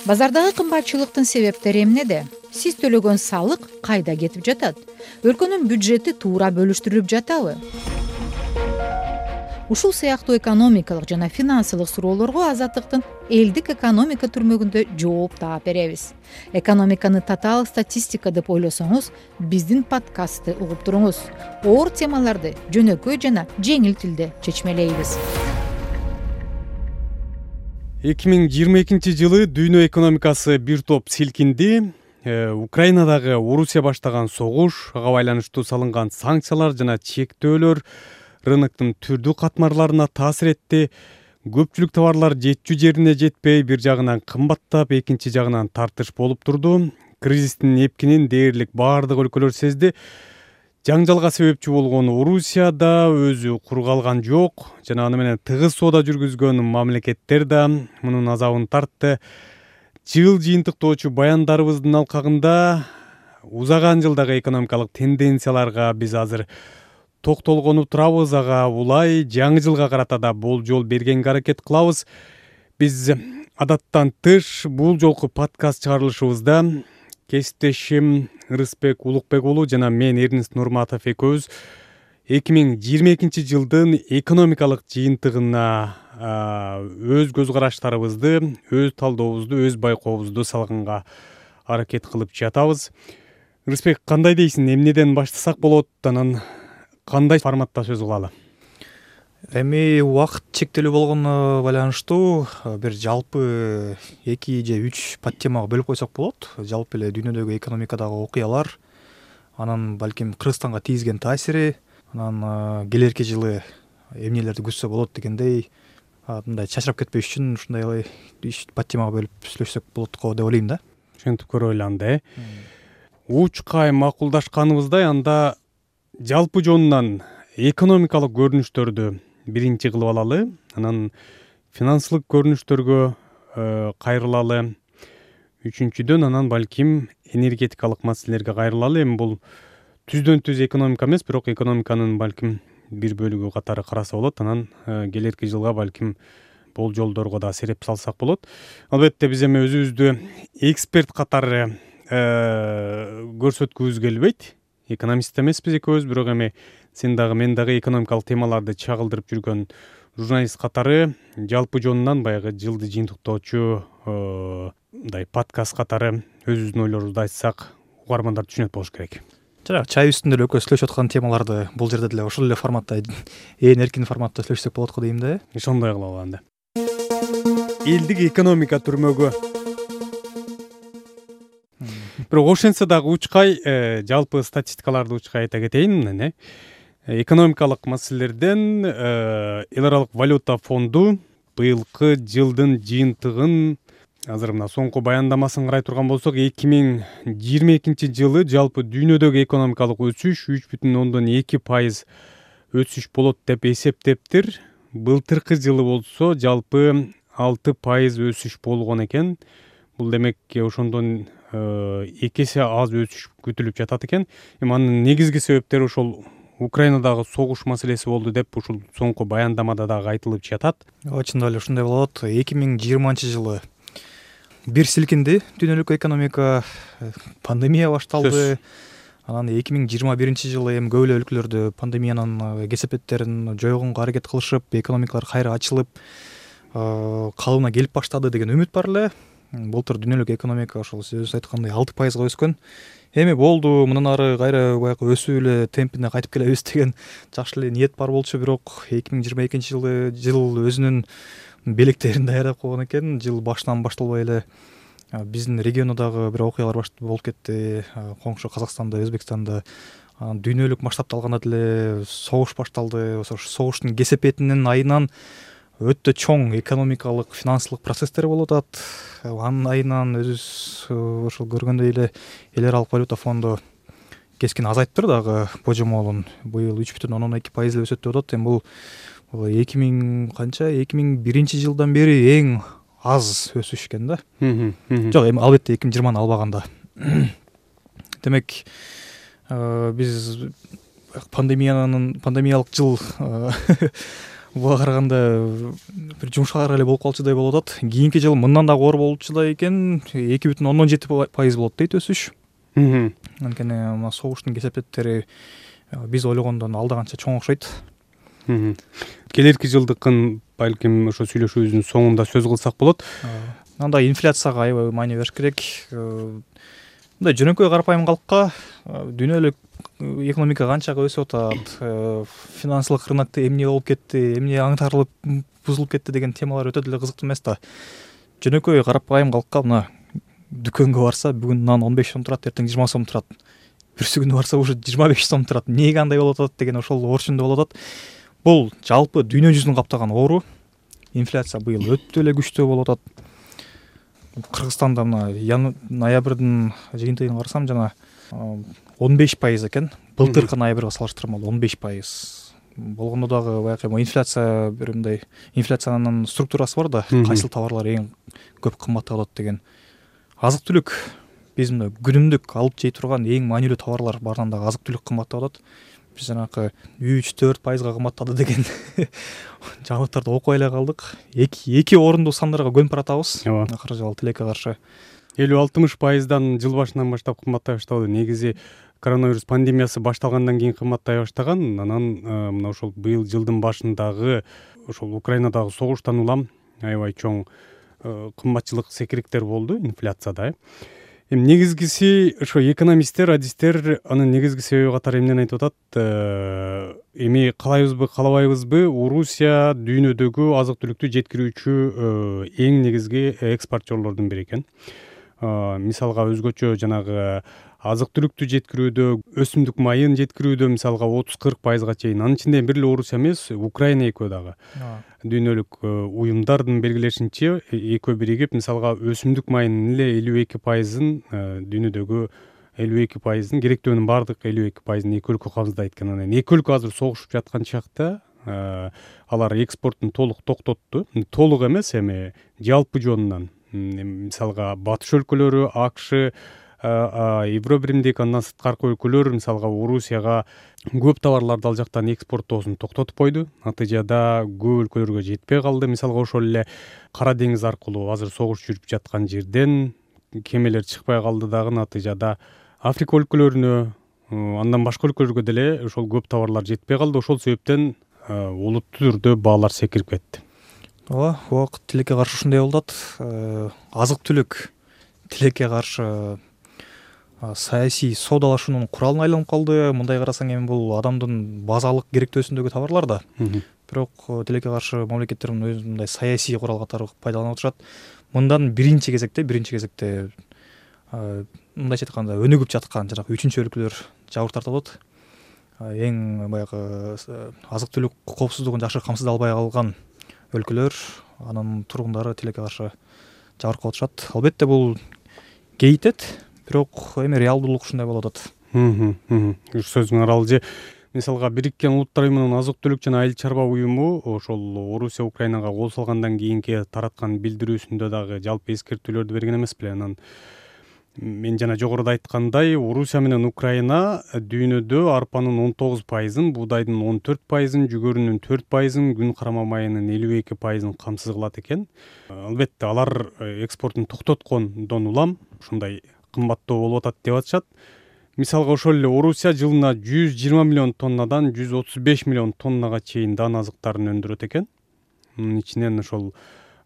Базардагы кымбатчылыктын себептери эмнеде? Сиз төлөгөн салык кайда кетип жатат? Өлкөнүн бюджети туура бөлүштүрүлүп жатабы? Ушул сыяктуу экономикалык жана финансылык суроолорго Азаттыктын элдик экономика түрмөгүндө жооп таап беребиз. Экономиканы татаал статистика деп ойлосоңуз, биздин подкастты угуп туруңуз. Оор темаларды жөнөкөй жана жеңил тилде чечмелейбиз. 2022 жылы дүйнө экономикасы бир топ силкинди. Украинадагы Орусия баштаган согуш, ага байланыштуу салынган санкциялар жана чектөөлөр рыноктун түрдүү катмарларына таасир этти. Көпчүлүк товарлар жетчү жерине жетпей, бир жагынан кымбаттап, экинчи жагынан тартыш болуп турду. Кризистин эпкинин дээрлик баардык өлкөлөр сезди. Жаңжалга себепчи болгон Орусия да өзү кур калган жок, жана аны менен тыгыз соода жүргүзгөн мамлекеттер да мунун азабын тартты. Жыл жыйынтыктоочу баяндарыбыздын алкагында узаган жылдагы экономикалык тенденцияларга биз азыр токтолгону турабыз. Ага улай жаңы жылга карата да болжол бергенге аракет кылабыз. Биз адаттан тыш бул жолку подкаст чыгарылышыбызда кесиптешим Рыспек Улукбек уулу жана мен Эрнест Нурматов экөөбүз 2022 жылдын экономикалык жыйынтыгына өз көз караштарыбызды, өз талдообузду, өз байкообузду салганга аракет кылып жатабыз. Рыспек, кандай дейсиң? Эмнеден баштасак болот? Анан кандай форматта сөз кылалы? Эми убакыт чектелүү болгону байланыштуу бир жалпы 2 же 3 подтемага бөлүп койсок болот. Жалпы эле дүйнөдөгү экономикадагы окуялар, анан балким Кыргызстанга тийгизген таасири, анан келерки жылы эмнелерди күтсө болот дегендей, мындай чачырап кетпеш үчүн ушундай 3 подтемага бөлүп сүйлөшсөк болот го деп ойлойм да. Ошентип көрөлү. Учкай макулдашканыбыздай, анда жалпы жонунан экономикалык көрүнүштөрдү биринчи кылып алалы, анан финансылык көрүнүштөргө кайрылалы, үчүнчүдөн анан балким энергетикалык маселелерге кайрылалы. Эми бул түздөн түз экономика эмес, бирок экономиканын балким бир бөлүгү катары караса болот. Анан келерки жылга балким болжолдорго да сереп салсак болот. Албетте биз эми өзүбүздү эксперт катары көрсөткүбүз келбейт. Экономист эмеспиз экөөбүз, бирок эми сен дагы мен дагы экономикалык темаларды чагылдырып жүргөн журналист катары жалпы жонунан баягы жылды жыйынтыктоочу мындай подкаст катары өзүбүздүн ойлорубузду айтсак, угармандар түшүнөт болуш керек. Жарак, чай үстүндө эле экөөбүз сүйлөшүп аткан темаларды бул жерде деле ошол эле форматта, ээн эркин форматта сүйлөшсөк болот го дейм да. Ошондой кылалы анда. Элдик экономика түрмөгү. Бирок ошентсе дагы учкай, жалпы статистикаларды учкай айта кетейин. Экономикалык маселелерден Эл аралык валюта фонду быйылкы жылдын жыйынтыгын азыр мына соңку баяндамасын карай турган болсок, 2022 жылы жалпы дүйнөдөгү экономикалык өсүш 3,2% өсүш болот деп эсептептир. Былтыркы жылы болсо жалпы 6% өсүш болгон экен. Бул демек ошондон 2 эсе аз өсүш күтүлүп жатат экен. Эми анын негизги себептери ошол Украинадагы согуш маселеси болду деп ушул соңку баяндамада дагы айтылып жатат. Чындап эле ушундай болот. 2020 жылы бир силкинди дүйнөлүк экономика, пандемия башталды. Анан 2021 жылы эми көп эле өлкөлөрдө пандемиянын кесепеттерин жойгонго аракет кылышып, экономикалар кайра ачылып, калыбына келип баштады деген үмүт бар эле. Былтыр дүйнөлүк экономика ошол сиз айткандай 6% өскөн. Эми болду, мындан ары кайра баягы өсүү эле темпине кайтып келебиз деген жакшы эле ниет бар болчу, бирок 2022 жылы жыл өзүнүн белектерин даярдап койгон экен. Жыл башынан башталбай эле биздин региондагы бир окуялар болуп кетти. Коңшу Казакстанда, Өзбекстанда, дүйнөлүк масштабта алганда деле согуш башталды. Ошо согуштун кесепетинин айынан өтө чоң экономикалык, финансылык процесстер болуп атат. Анын айынан өзүбүз ошол көргөндөй эле Эл аралык валюта фонду кескин азайттыр дагы божомолун. Быйыл 3,2% өсөт деп атат. Эми бул 2001 жылдан бери эң аз өсүш экен да. Жок, эми албетте 2020-ны албаганда. Демек, биз пандемиялык жыл буга караганда бир жумшак эле болуп калчудай болуп атат. Кийинки жылы мындан дагы оор болчудай экен, 2,7% болот дейт өсүш. Анткени мына согуштун кесепеттери биз ойлогондон алда канча чоң окшойт. Келерки жылдыкын балким ошо сүйлөшүүбүздүн соңунда сөз кылсак болот. Анда инфляцияга аябай маани бериш керек. Мындай жөнөкөй карапайым калкка дүйнөлүк экономика канчага өсүп атат, финансылык рынокто эмне болуп кетти, эмне аңтарылып бузулуп кетти деген темалар өтө деле кызыктуу эмес да. Жөнөкөй карапайым калкка мына дүкөнгө барса бүгүн нан 15 сом турат, эртең 20 сом турат. Бүрсү күнү барса уже 25 сом турат. Эмнеге андай болуп атат деген ошол орчундо болуп атат. Бул жалпы дүйнө жүзүн каптаган оору. Инфляция быйыл өтө эле күчтүү болуп атат. Кыргызстанда мына ноябрдын жыйынтыгын карасам жана 15% экен. Былтыркы ноябрга салыштырмалуу 15%. Болгондо дагы баягы инфляция бир мындай инфляциянын структурасы бар да, кайсыл товарлар эң көп кымбаттап атат деген. Азык-түлүк биз мына күнүмдүк алып жей турган эң маанилүү товарлар барынан дагы азык-түлүк кымбаттап атат. Биз жанакы 3-4% кымбаттады деген жаңылыктарды окуй эле калдык. Эки орунду сандарга көнүп баратабыз. Акыры жолу тилекке каршы 50-60%дан жыл башынан баштап кымбаттай баштады. Негизи коронавирус пандемиясы башталгандан кийин кымбаттай баштаган. Анан мына ошол быйыл жылдын башындагы ошол Украинадагы согуштан улам аябай чоң кымбатчылык секириктер болду инфляцияда. Эми негизгиси ошо экономисттер, адистер анын негизги себеби катары эмнени айтып атат? Эми каалайбызбы, каалабайбызбы, Орусия дүйнөдөгү азык-түлүктү жеткирүүчү эң негизги экспортчорлордун бири экен. Мисалга өзгөчө жанагы азык-түлүктү жеткирүүдө, өсүмдүк майын жеткирүүдө мисалга 30-40%га чейин. Анын ичинде бир эле Орусия эмес, Украина экөө дагы. Дүйнөлүк уюмдардын белгилешинче экөө биригип мисалга өсүмдүк майынын эле 52%-ын дүйнөдөгү 52%-ын керектөөнүн баардык 52%-ын эки өлкө камсыздайт экен. Анан эки өлкө азыр согушуп жаткан чакта алар экспортун толук токтотту. Толук эмес, эми жалпы жонунан. Мисалга батыш өлкөлөрү, АКШ, Евробиримдик, андан сырткаркы өлкөлөр мисалга Орусияга көп товарларды ал жактан экспорттоосун токтотуп койду. Натыйжада көп өлкөлөргө жетпей калды. Мисалга ошол эле Кара деңиз аркылуу азыр согуш жүрүп жаткан жерден кемелер чыкпай калды дагы. Натыйжада Африка өлкөлөрүнө, андан башка өлкөлөргө деле ошол көп товарлар жетпей калды. Ошол себептен олуттуу түрдө баалар секирип кетти. Ооба, убакыт тилекке каршы ушундай болуп атат. Азык-түлүк тилекке каршы саясий соодалашуунун куралына айланып калды. Мындай карасаң эми бул адамдын базалык керектөөсүндөгү товарлар да. Бирок тилекке каршы мамлекеттер өз мындай саясий курал катары пайдаланып отурушат. Мындан биринчи кезекте мындайча айтканда өнүгүп жаткан жанагы үчүнчү өлкөлөр жабыр тартып атат. Эң баягы азык-түлүк коопсуздугун жакшы камсыздай албай калган өлкөлөр, анын тургундары тилекке каршы жабыркап отурушат. Албетте бул кейитет, бирок эми реалдуулук ушундай болуп атат. Сөзүң аралжы. Мисалга Бириккен Улуттар уюмунун азык-түлүк жана айыл чарба уюму ошол Орусия Украинага кол салгандан кийинки тараткан билдирүүсүндө дагы жалпы эскертүүлөрдү берген эмес беле. Анан мен жана жогоруда айткандай, Орусия менен Украина дүйнөдө арпанын 19%-ын, буудайдын 14%-ын, жүгөрүнүн 4%-ын, күн карама майынын 52%-ын камсыз кылат экен. Албетте алар экспортун токтоткондон улам ушундай кымбаттоо болуп атат деп атышат. Мисалга ошол эле Орусия жылына 120 миллион тоннадан 135 миллион тоннага чейин дан азыктарын өндүрөт экен. Мунун ичинен ошол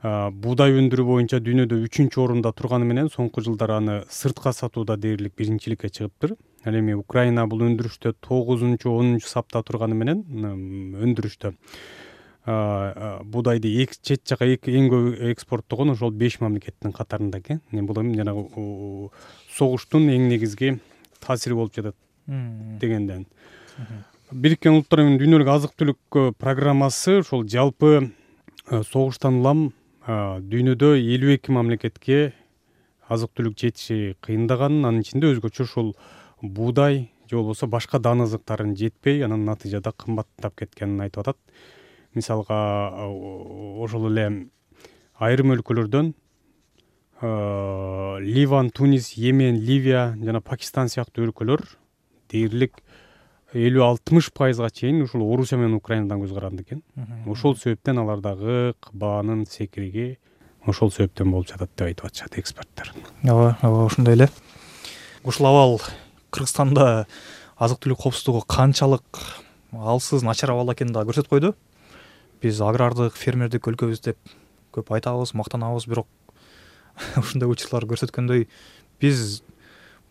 буудай өндүрүү боюнча дүйнөдө 3-чү орунда турганы менен соңку жылдары аны сыртка сатууда дээрлик биринчиликке чыгыптыр. Ал эми Украина бул өндүрүштө 9-10 сапта турганы менен өндүрүштө буудайды чет жака эң көп экспорттогон ошол 5 мамлекеттин катарында экен. Бул эми жанагы согуштун эң негизги таасири болуп жатат дегенден. Бириккен Улуттар уюмунун дүйнөлүк азык-түлүк программасы ошол жалпы согуштан улам дүйнөдө 52 мамлекетке азык-түлүк жетиши кыйындаганын, анын ичинде өзгөчө ошол буудай же болбосо башка дан азыктарын жетпей, анын натыйжада кымбаттап кеткенин айтып атат. Мисалга ошол эле айрым өлкөлөрдөн Ливан, Тунис, Йемен, Ливия жана Пакистан сыяктуу өлкөлөр дээрлик 50-60%га чейин ушул Орусия менен Украинадан көз каранды экен. Ошол себептен алардагы баанын секириги ошол себептен болуп жатат деп айтып атышат эксперттер. Ооба, ошондой эле. Ушул абал Кыргызстанда азык түлүк коопсуздугу канчалык алсыз, начар абалда экенин да көрсөтүп койду. Биз агрардык, фермердик өлкөбүз деп көп айтабыз, мактанабыз, бирок ушундай учурлар көрсөткөндөй биз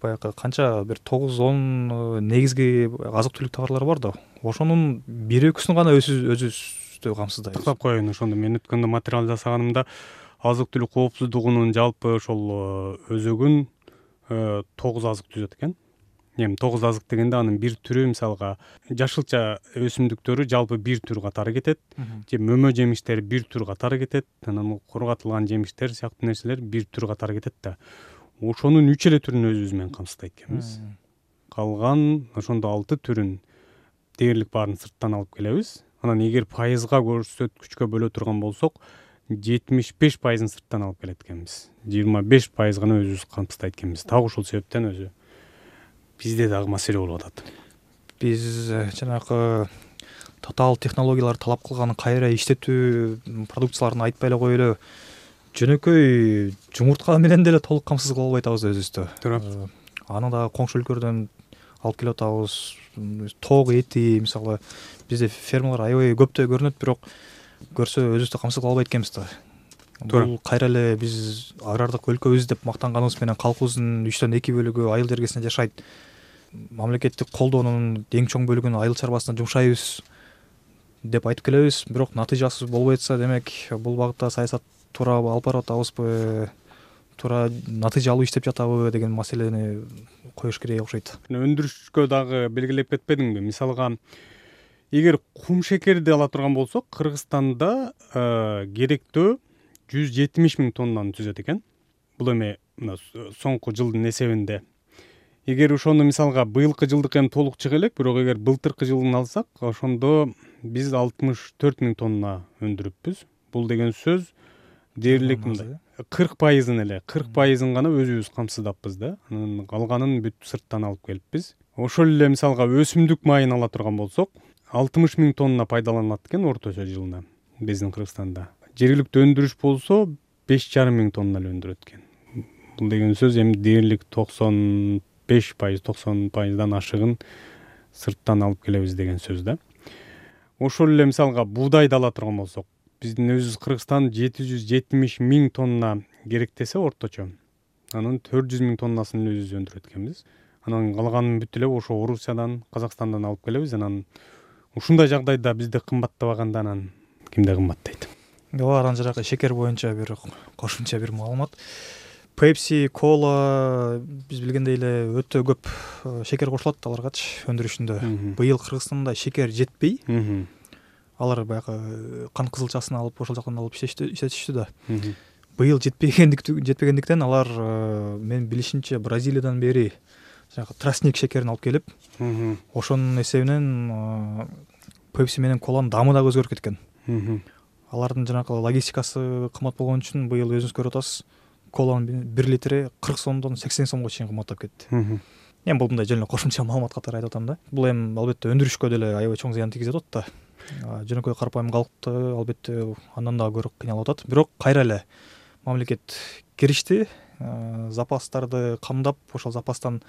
баягы канча бир 9-10 негизги азык түлүк товарлар бар да. Ошонун 1-2-сүн гана өзүбүздү камсыздайбыз. Тактап коеюн, ошондо мен өткөндө материал жасаганымда азык түлүк коопсуздугунун жалпы ошол өзөгүн 9 азык түзөт экен. Эми 9 азык дегенде анын бир түрү мисалга жашылча өсүмдүктөрү жалпы бир түр катары кетет, же мөмө жемиштери бир түр катары кетет, анан кургатылган жемиштер сыяктуу нерселер бир түр катары кетет да. Ошонун 3 эле түрүн өзүбүз менен камсыздайт экенбиз. Калган ошондо 6 түрүн дээрлик баарын сырттан алып келебиз. Анан эгер пайызга көрсөткүчкө бөлө турган болсок 75%-ын сырттан алып келет экенбиз. 25% гана өзүбүз камсыздайт экенбиз. Так ушул себептен өзү бизде дагы маселе болуп атат. Биз жанагы татаал технологиялар талап кылган кайра иштетүү продукцияларын айтпай эле коелу, жөнөкөй жумуртка менен деле толук камсыз кыла албай атабыз өзүбүздү. Туура. Аны да коңшу өлкөлөрдөн алып келип атабыз. Тоок эти мисалы бизде фермалар аябай көптөй көрүнөт, бирок көрсө өзүбүздү камсыз кыла албайт экенбиз да. Бул кайра эле биз агрардык өлкөбүз деп мактанганыбыз менен калкыбыздын 3/2 бөлүгү айыл жергесинде жашайт. Мамлекеттик колдоонун эң чоң бөлүгүн айыл чарбасына жумшайбыз деп айтып келебиз, бирок натыйжасы болбой атса, демек бул багытта саясат туура алып барып атабызбы, туура натыйжалуу иштеп жатабы деген маселени коюш керек окшойт. Өндүрүшкө дагы белгилеп кетпедиңби? Мисалга, эгер кум шекерди ала турган болсок, Кыргызстанда керектөө 170 000 тоннаны түзөт экен. Бул эми соңку жылдын эсебинде. Эгер ошону мисалга быйылкы жылдык эми толук чыга элек, бирок эгер былтыркы жылын алсак, ошондо биз 64 000 тонна өндүрүппүз. Бул деген сөз дээрлик 40%-ын эле, 40%-ын гана өзүбүз камсыздаппыз да. Анан калганын бүт сырттан алып келиппиз. Ошол эле мисалга өсүмдүк майын ала турган болсок, 60 000 тонна пайдаланылат экен орточо жылына биздин Кыргызстанда. Жергиликтүү өндүрүш болсо 5,5 000 тонна эле өндүрөт экен. Бул деген сөз эми дээрлик 95%-90%дан ашыгын сырттан алып келебиз деген сөз да. Ошол эле мисалга буудайды ала турган болсок, биздин өзүбүз Кыргызстан 770 000 тонна керектесе орточо. Анын 400 000 тоннасын эле өзүбүз өндүрөт экенбиз. Анан калганын бүт эле ошо Орусиядан, Казакстандан алып келебиз. Анан ушундай жагдайда бизде кымбаттабаганда анан кимде кымбаттайт? Ооба, анан жанагы шекер боюнча бир кошумча бир маалымат. Pepsi, Cola биз билгендей эле өтө көп шекер кошулат аларгачы өндүрүшүндө. Быйыл Кыргызстанда шекер жетпей, алар баягы кан кызылчасын алып ошол жактан алып иштетишти да. Быйыл жетпегендиктен алар мен билишимче Бразилиядан бери жанагы тростник шекерин алып келип, ошонун эсебинен Pepsi менен Cola'нын даамы дагы өзгөрүп кеткен. Алардын жанагы логистикасы кымбат болгон үчүн быйыл өзүңүз көрүп атасыз, Cola'нын 1 литри 40 сомдон 80 сомго чейин кымбаттап кетти. Эми бул мындай жөн эле кошумча маалымат катары айтып атам да. Бул эми албетте өндүрүшкө деле аябай чоң зыян тийгизип атат да. Жөнөкөй карапайым калкты албетте андан дагы көрөк кыйналып атат. Бирок кайра эле мамлекет киришти, запастарды камдап, ошол запастан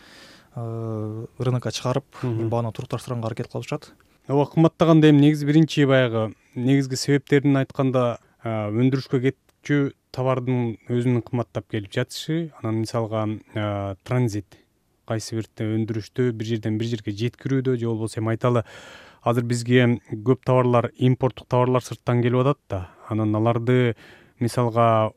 рынокко чыгарып, бааны турукташтырганга аракет кылып атышат. Ооба, кымбаттаганда эми негизи биринчи баягы негизги себептерин айтканда, өндүрүшкө кетчү товардын өзүнүн кымбаттап келип жатышы, анан мисалга транзит, кайсы бирде өндүрүштү бир жерден бир жерге жеткирүүдө, же болбосо эми айталы, азыр бизге көп товарлар, импорттук товарлар сырттан келип атат да. Анан аларды мисалга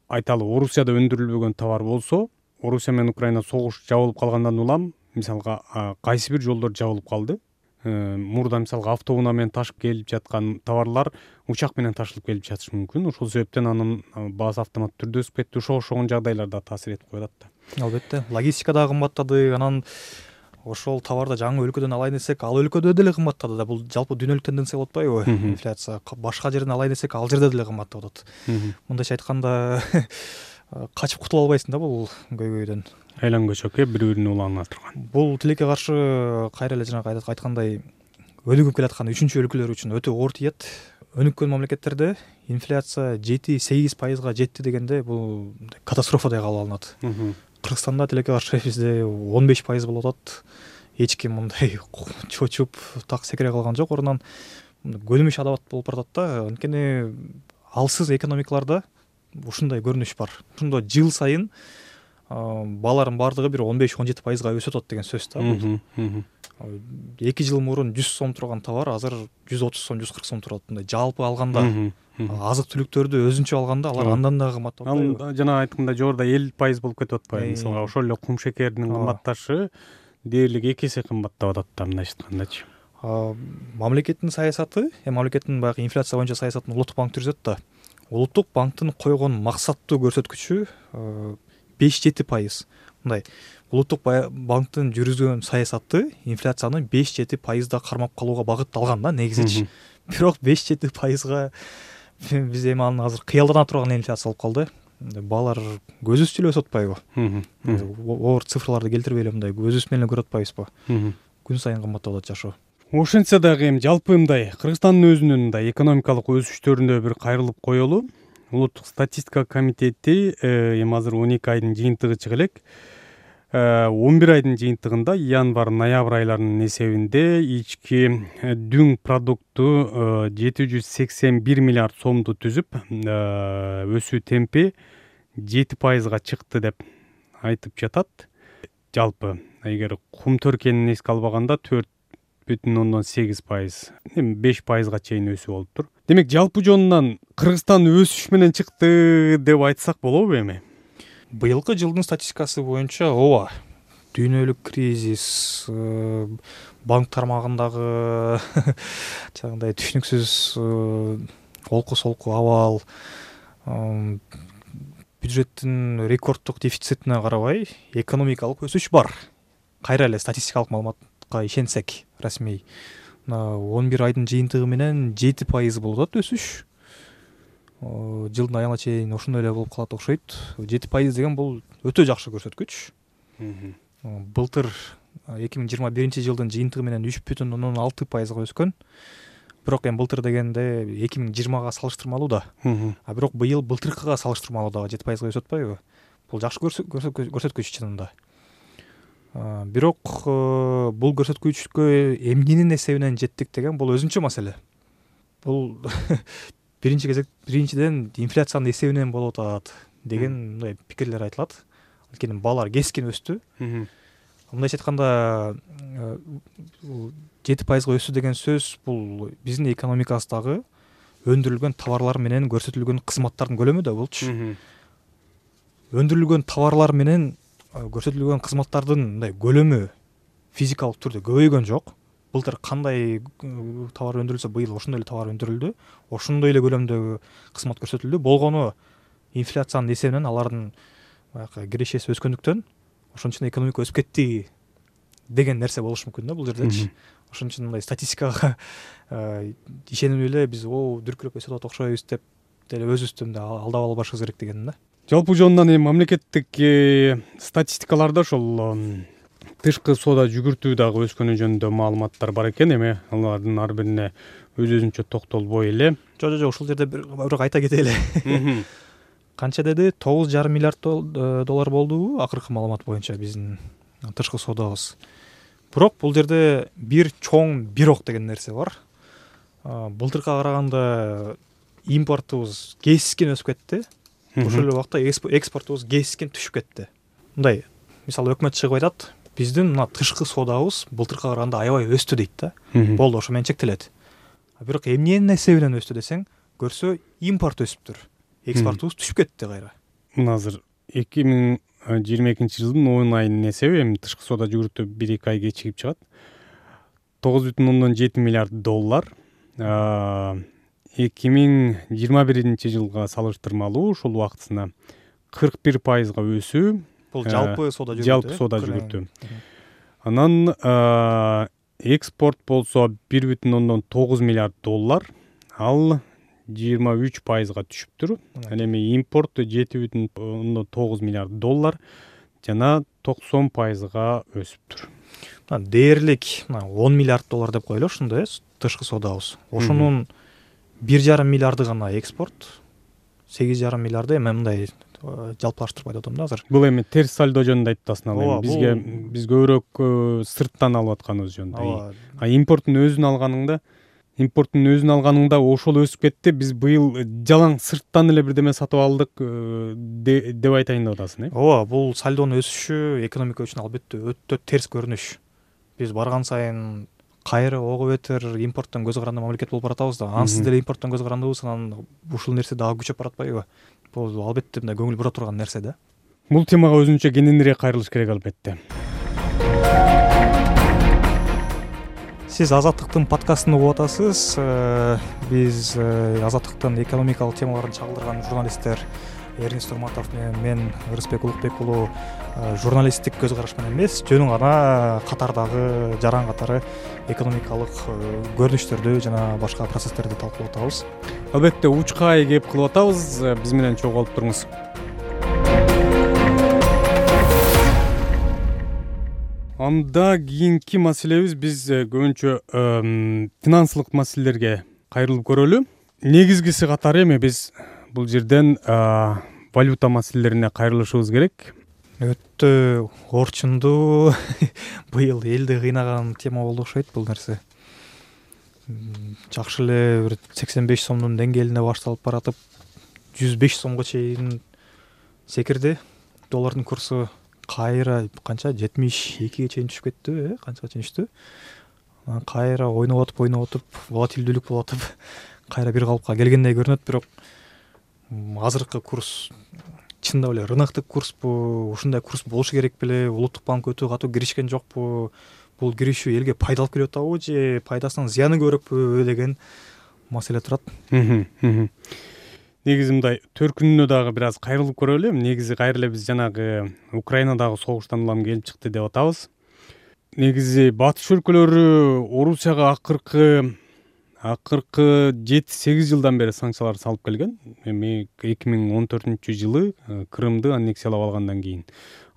айталы Орусияда өндүрүлбөгөн товар болсо, Орусия менен Украина согуш жабылып калгандан улам, мисалга кайсы бир жолдор жабылып калды. Мурда мисалга автоунаа менен ташып келип жаткан товарлар учак менен ташылып келип жатышы мүмкүн. Ошол себептен анын баасы автоматтуу түрдө өсүп кетти. Ошогон жагдайларда таасир этип коюп атат да. Албетте, логистика дагы кымбаттады. Анан ошол товарды жаңы өлкөдөн алайын десек, ал өлкөдө деле кымбаттады да. Бул жалпы дүйнөлүк тенденция болуп атпайбы? Инфляция башка жерден алайын десек, ал жерде деле кымбаттап атат. Мындайча айтканда качып кутула албайсың да бул көйгөйдөн. айлан көчөк бири бирин уланып турган. Бул тилекке каршы кайра эле жанагы айткандай өнүгүп келаткан 3-өлкөлөр үчүн өтө оор тиет. Өнүккөн мамлекеттерде инфляция 7-8% жетти дегенде бул катастрофадай кабыл алынат. Кыргызстанда тилекке каршы бизде 15% болуп атат. Эч ким мындай чочуп так секире калган жок. Орунан көнүмүш адабат болуп баратат да. Анткени алсыз экономикаларда ушундай көрүнүш бар. Ошондо жыл сайын баалардын баардыгы бир 15-17%га өсүп атат деген сөз да. 2 жыл мурун 100 сом турган товар азыр 130 сом, 140 сом турат. Мындай жалпы алганда азык түлүктөрдү өзүнчө алганда алар андан дагы кымбаттап атпайбы? Ал жана айтканда жогоруда 50% болуп кетип атпайбы? Мисалга ошол эле кум шекердин кымбатташы дээрлик 2 эсе кымбаттап атат да мындайча айткандачы. Мамлекеттин саясаты, мамлекеттин баягы инфляция боюнча саясатын Улуттук банк жүргүзөт да. Улуттук банктын койгон максаттуу көрсөткүчү 5-7%. Мындай Улуттук банктын жүргүзгөн саясаты инфляцияны 5-7%да кармап калууга багытталган да негизичи. Бирок 5-7%га биз эми аны азыр кыялдана турган инфляция болуп калды. Баалар көзүбүз эле өсүп атпайбы? Оор цифрларды келтирбей эле мындай көзүбүз менен көрүп атпайбызбы? Күн сайын кымбаттап атат жашоо. Ошентсе дагы эми жалпы мындай Кыргызстандын өзүнүн мындай экономикалык өсүштөрүнө бир кайрылып коелу. Улуттук статистика комитети эми азыр 12 айдын жыйынтыгы чыга элек. 11 айдын жыйынтыгында январь-ноябрь айларынын эсебинде ички дүң продукту 781 миллиард сомду түзүп, өсүү темпи 7%га чыкты деп айтып жатат. Жалпы эгер кум төркенин эске албаганда 4,8%, 5%га чейин өсүү болуптур. Демек жалпы жонунан Кыргызстан өсүш менен чыкты деп айтсак болобу эми? Быйылкы жылдын статистикасы боюнча ооба, дүйнөлүк кризис, банк тармагындагы жагындай түшүнүксүз олку-солку абал, бюджеттин рекорддук дефицитине карабай экономикалык өсүш бар. Кайра эле статистикалык маалыматка ишенсек, расмий 11 айдын жыйынтыгы менен 7% болуп атат өсүш. Жылдын айына чейин ошондой эле болуп калат окшойт. 7% деген бул өтө жакшы көрсөткүч. Былтыр 2021 жылдын жыйынтыгы менен 3,6%га өскөн. Бирок эми былтыр дегенде 2020га салыштырмалуу да. Бирок быйыл былтыркыга салыштырмалуу дагы 7%га өсүп атпайбы? Бул жакшы көрсөткүч чынында. Бирок бул көрсөткүчкө эмненин эсебинен жеттик деген бул өзүнчө маселе. Бул биринчиден инфляциянын эсебинен болуп атат деген мындай пикирлер айтылат. Анткени баалар кескин өстү. Мындайча айтканда 7%га өсүү деген сөз бул биздин экономикабыздагы өндүрүлгөн товарлар менен көрсөтүлгөн кызматтардын көлөмү да болчу. Өндүрүлгөн товарлар менен көрсөтүлгөн кызматтардын мындай көлөмү физикалык түрдө көбөйгөн жок. Былтыр кандай товар өндүрүлсө, быйыл ошондой эле товар өндүрүлдү. Ошондой эле көлөмдөгү кызмат көрсөтүлдү. Болгону инфляциянын эсебинен алардын кирешеси өскөндүктөн ошон үчүн экономика өсүп кетти деген нерсе болушу мүмкүн да бул жердечи. Ошон үчүн мындай статистикага ишенип эле биз дүркүрөп өсүп атат окшойбуз деп деле өзүбүздү алдап алып барышыбыз керек деген да. Жалпы жонунан эми мамлекеттик статистикаларда ошол тышкы соода жүгүртүү дагы өскөнү жөнүндө маалыматтар бар экен. Эми алардын ар бирине өзүнчө токтолбой эле. Жок, ушул жерде бирок айта кетели. Канча деди? 9,5 миллиард доллар болду акыркы маалымат боюнча биздин тышкы соодабыз. Бирок бул жерде бир чоң бирок деген нерсе бар. Былтыркыга караганда импортубуз кескин өсүп кетти. Ошол эле убакта экспортубуз кескин түшүп кетти. Мындай, мисалы өкмөт чыгып айтат, биздин мына тышкы соодабыз былтыркыга караганда аябай өстү дейт да. Болду, ошо менен чектелет. Бирок эмненин эсебинен өстү десең, көрсө импорт өсүптүр. Экспортубуз түшүп кетти кайра. Мына азыр 2022 жылдын 10 айынын эсеби эми тышкы соода жүгүртүү 1-2 ай кечигип чыгат. 9,7 миллиард доллар. 2021 жылга салыштырмалуу ушул убактысына 41%га өсүү. Бул жалпы соода жүгүртүү. Жалпы соода жүгүртүү. Анан экспорт болсо 1,9 миллиард доллар. Ал 23%га түшүптүр. Ал эми импорт 7,9 миллиард доллар. жана 90%га өсүптүр. Дээрлик 10 миллиард доллар деп коелу ушундай тышкы соодабыз. Ошонун 1,5 миллиарды гана экспорт, 8,5 миллиарды эми мындай жалпылаштырып айтып атам да азыр. Бул эми терс сальдо жөнүндө айтып атасың ал эми биз көбүрөөк сырттан алып атканыбыз жөнүндө. Импорттун өзүн алганыңда ошол өсүп кетти. Биз быйыл жалаң сырттан эле бирдеме сатып алдык деп айтайын деп атасың, ооба, бул сальдонун өсүшү экономика үчүн албетте өтө терс көрүнүш. Биз барган сайын кайра ого бетер импорттон көз каранды мамлекет болуп баратабыз да. Ансыз деле импорттон көз карандыбыз, анан ушул нерсе дагы күчөп баратпайбы? Бул албетте мындай көңүл бура турган нерсе да. Бул темага өзүнчө кененирээк кайрылыш керек албетте. Сиз Азаттыктын подкастын угуп атасыз. Биз Азаттыктын экономикалык темаларын чагылдырган журналисттер Эрнест Урматов менен мен Ырысбек Улукбек уулу журналисттик көз караш менен эмес, жөнүн гана катардагы жаран катары экономикалык көрүнүштөрдү жана башка процесстерди талкуулап атабыз. Албетте учкай кеп кылып атабыз. Биз менен чогуу алып туруңуз. Анда кийинки маселебиз биз көбүнчө финансылык маселелерге кайрылып көрөлү. Негизгиси катары эми биз бул жерден валюта маселелерине кайрылышыбыз керек. Өтө орчундуу быйыл элди кыйнаган тема болду окшойт бул нерсе. Жакшы эле бир 85 сомдун деңгээлинде башталып баратып 105 сомго чейин секирди. Доллардын курсу кайра канча 72ге чейин түшүп кетти, канчага чейин түштү. Кайра ойноп атып, волатилдүүлүк болуп атып, кайра бир калыпка келгендей көрүнөт, бирок азыркы курс чындап эле рыноктук курспу, ушундай курс болушу керек беле, улуттук банк өтө катуу киришкен жокпу, бул киришүү элге пайда алып келип атабы же пайдасынан зыяны көбүрөкпү деген маселе турат. Негизи мындай төркүнүнө дагы бир аз кайрылып көрөлү. Негизи кайра эле биз жанагы Украинадагы согуштан улам келип чыкты деп атабыз. Негизи батыш өлкөлөрү Орусияга акыркы 7-8 жылдан бери санкциялар салып келген. Эми 2014-жылы Крымды аннексиялап алгандан кийин.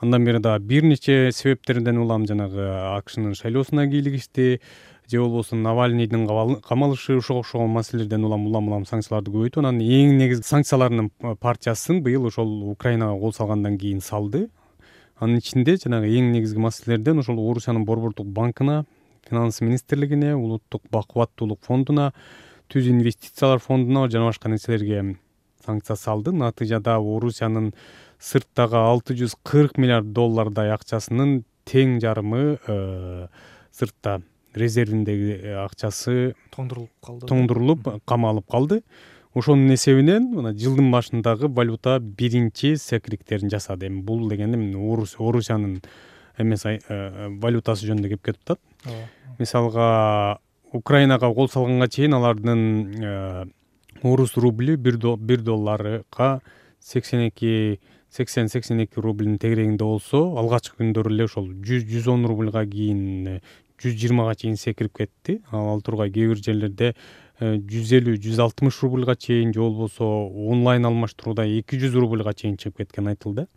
Андан бери дагы бир нече себептерден улам жанагы АКШнын шайлоосуна кийлигишти, же болбосо Навальныйдын камалышы, ошого окшогон маселелерден улам санкцияларды көбөйтүп, анан эң негизги санкцияларынын партиясын быйыл ошол Украинага кол салгандан кийин салды. Анын ичинде жанагы эң негизги маселелерден ошол Орусиянын Борбордук банкына, Финанс министрлигине, Улуттук бакубаттуулук фондуна, Түз инвестициялар фондуна жана башка нерселерге санкция салды. Натыйжада Орусиянын сырттагы 640 миллиард доллардай акчасынын тең жарымы сыртта резервиндеги акчасы тоңдурулуп камалып калды. Ошонун эсебинен мына жылдын башындагы валюта биринчи секириктерин жасады. Эми бул дегенде Орусиянын эмес валютасы жөнүндө кеп кетип атат. Мисалга Украинага кол салганга чейин алардын орус рубли 1 долларга 80-82 рубльдин тегерегинде болсо, алгачкы күндөрү эле ошол 100-110 рубльга кийин 120га чейин секирип кетти. Ал тургай кээ бир жерлерде 150-160 рубльга чейин, же болбосо онлайн алмаштырууда 200 рубльга чейин чыгып кеткен айтылды.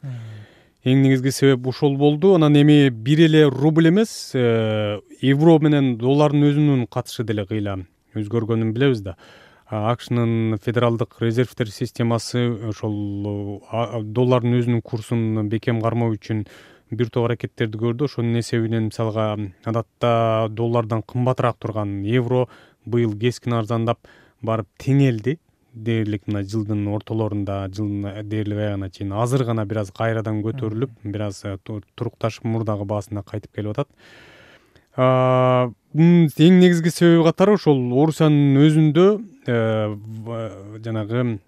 Эң негизги себеп ошол болду. Анан эми бир эле рубль эмес, евро менен доллардын өзүнүн катышы деле кыйла өзгөргөнүн билебиз да. АКШнын федералдык резервдер системасы ошол доллардын өзүнүн курсун бекем кармоо үчүн бир топ аракеттерди көрдү. Ошонун эсебинен мисалга адатта доллардан кымбатыраак турган евро быйыл кескин арзандап барып теңелди. Дээрлик мына жылдын ортолорунда, жылдын дээрлик аягына чейин азыр гана бир аз кайрадан көтөрүлүп, бир аз турукташып мурдагы баасына кайтып келип атат. Эң негизги себеби катары ошол Орусиянын өзүндө жанагы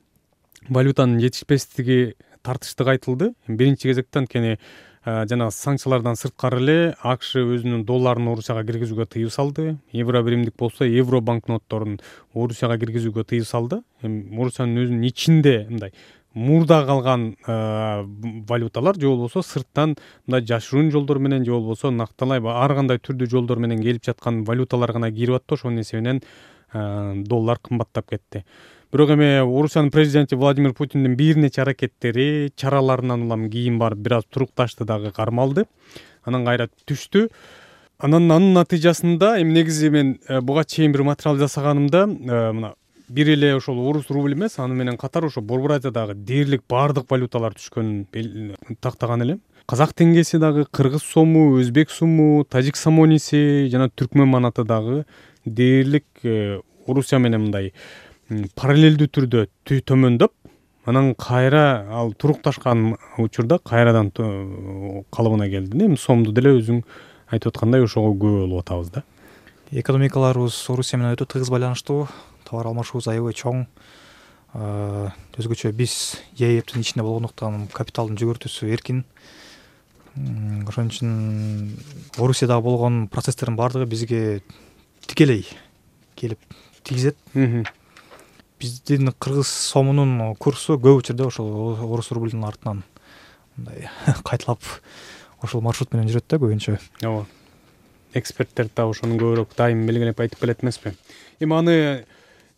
валютанын жетишпестиги тартыштык айтылды. Биринчи кезекте анткени жана санкциялардан сырткары эле АКШ өзүнүн долларын Орусияга киргизүүгө тыюу салды. Евро биримдик болсо, евро банкнотторун Орусияга киргизүүгө тыюу салды. Орусиянын өзүнүн ичинде мындай мурда калган валюталар, же болбосо сырттан мындай жашыруун жолдор менен, же болбосо накталай ар кандай түрдүү жолдор менен келип жаткан валюталар гана кирип атты. Ошонун эсебинен доллар кымбаттап кетти. бирок эми Орусиянын президенти Владимир Путиндин бир нече аракеттери, чараларынан улам кийин барып бир аз турукташты дагы, кармалды, анан кайра түштү. Анын натыйжасында эми негизи мен буга чейин бир материал жасаганымда мына бир эле ошол орус рубль эмес, аны менен катар ошо Борбор Азиядагы дээрлик баардык валюталар түшкөнүн тактаган элем. Казак теңгеси дагы, кыргыз сому, өзбек суму, тажик самониси жана түркмөн манаты дагы дээрлик Орусия менен мындай параллелдүү түрдө төмөндөп, анан кайра ал турукташкан учурда кайрадан калыбына келди. Эми сомду деле өзүң айтып аткандай ошого күбө болуп атабыз да. Экономикаларыбыз Орусия менен өтө тыгыз байланыштуу, товар алмашуубуз аябай чоң. Өзгөчө биз ЕЭптин ичинде болгондуктан капиталдын жүгүртүүсү эркин. Ошон үчүн Орусияда болгон процесстердин баардыгы бизге тикелей келип тийгизет. Биздин кыргыз сомунун курсу көп учурда ошол орус рубльдин артынан мындай кайталап ошол маршрут менен жүрөт да көбүнчө. Ооба. Эксперттер да ошону көбүрөөк дайым белгилеп айтып келет эмеспи? Эми аны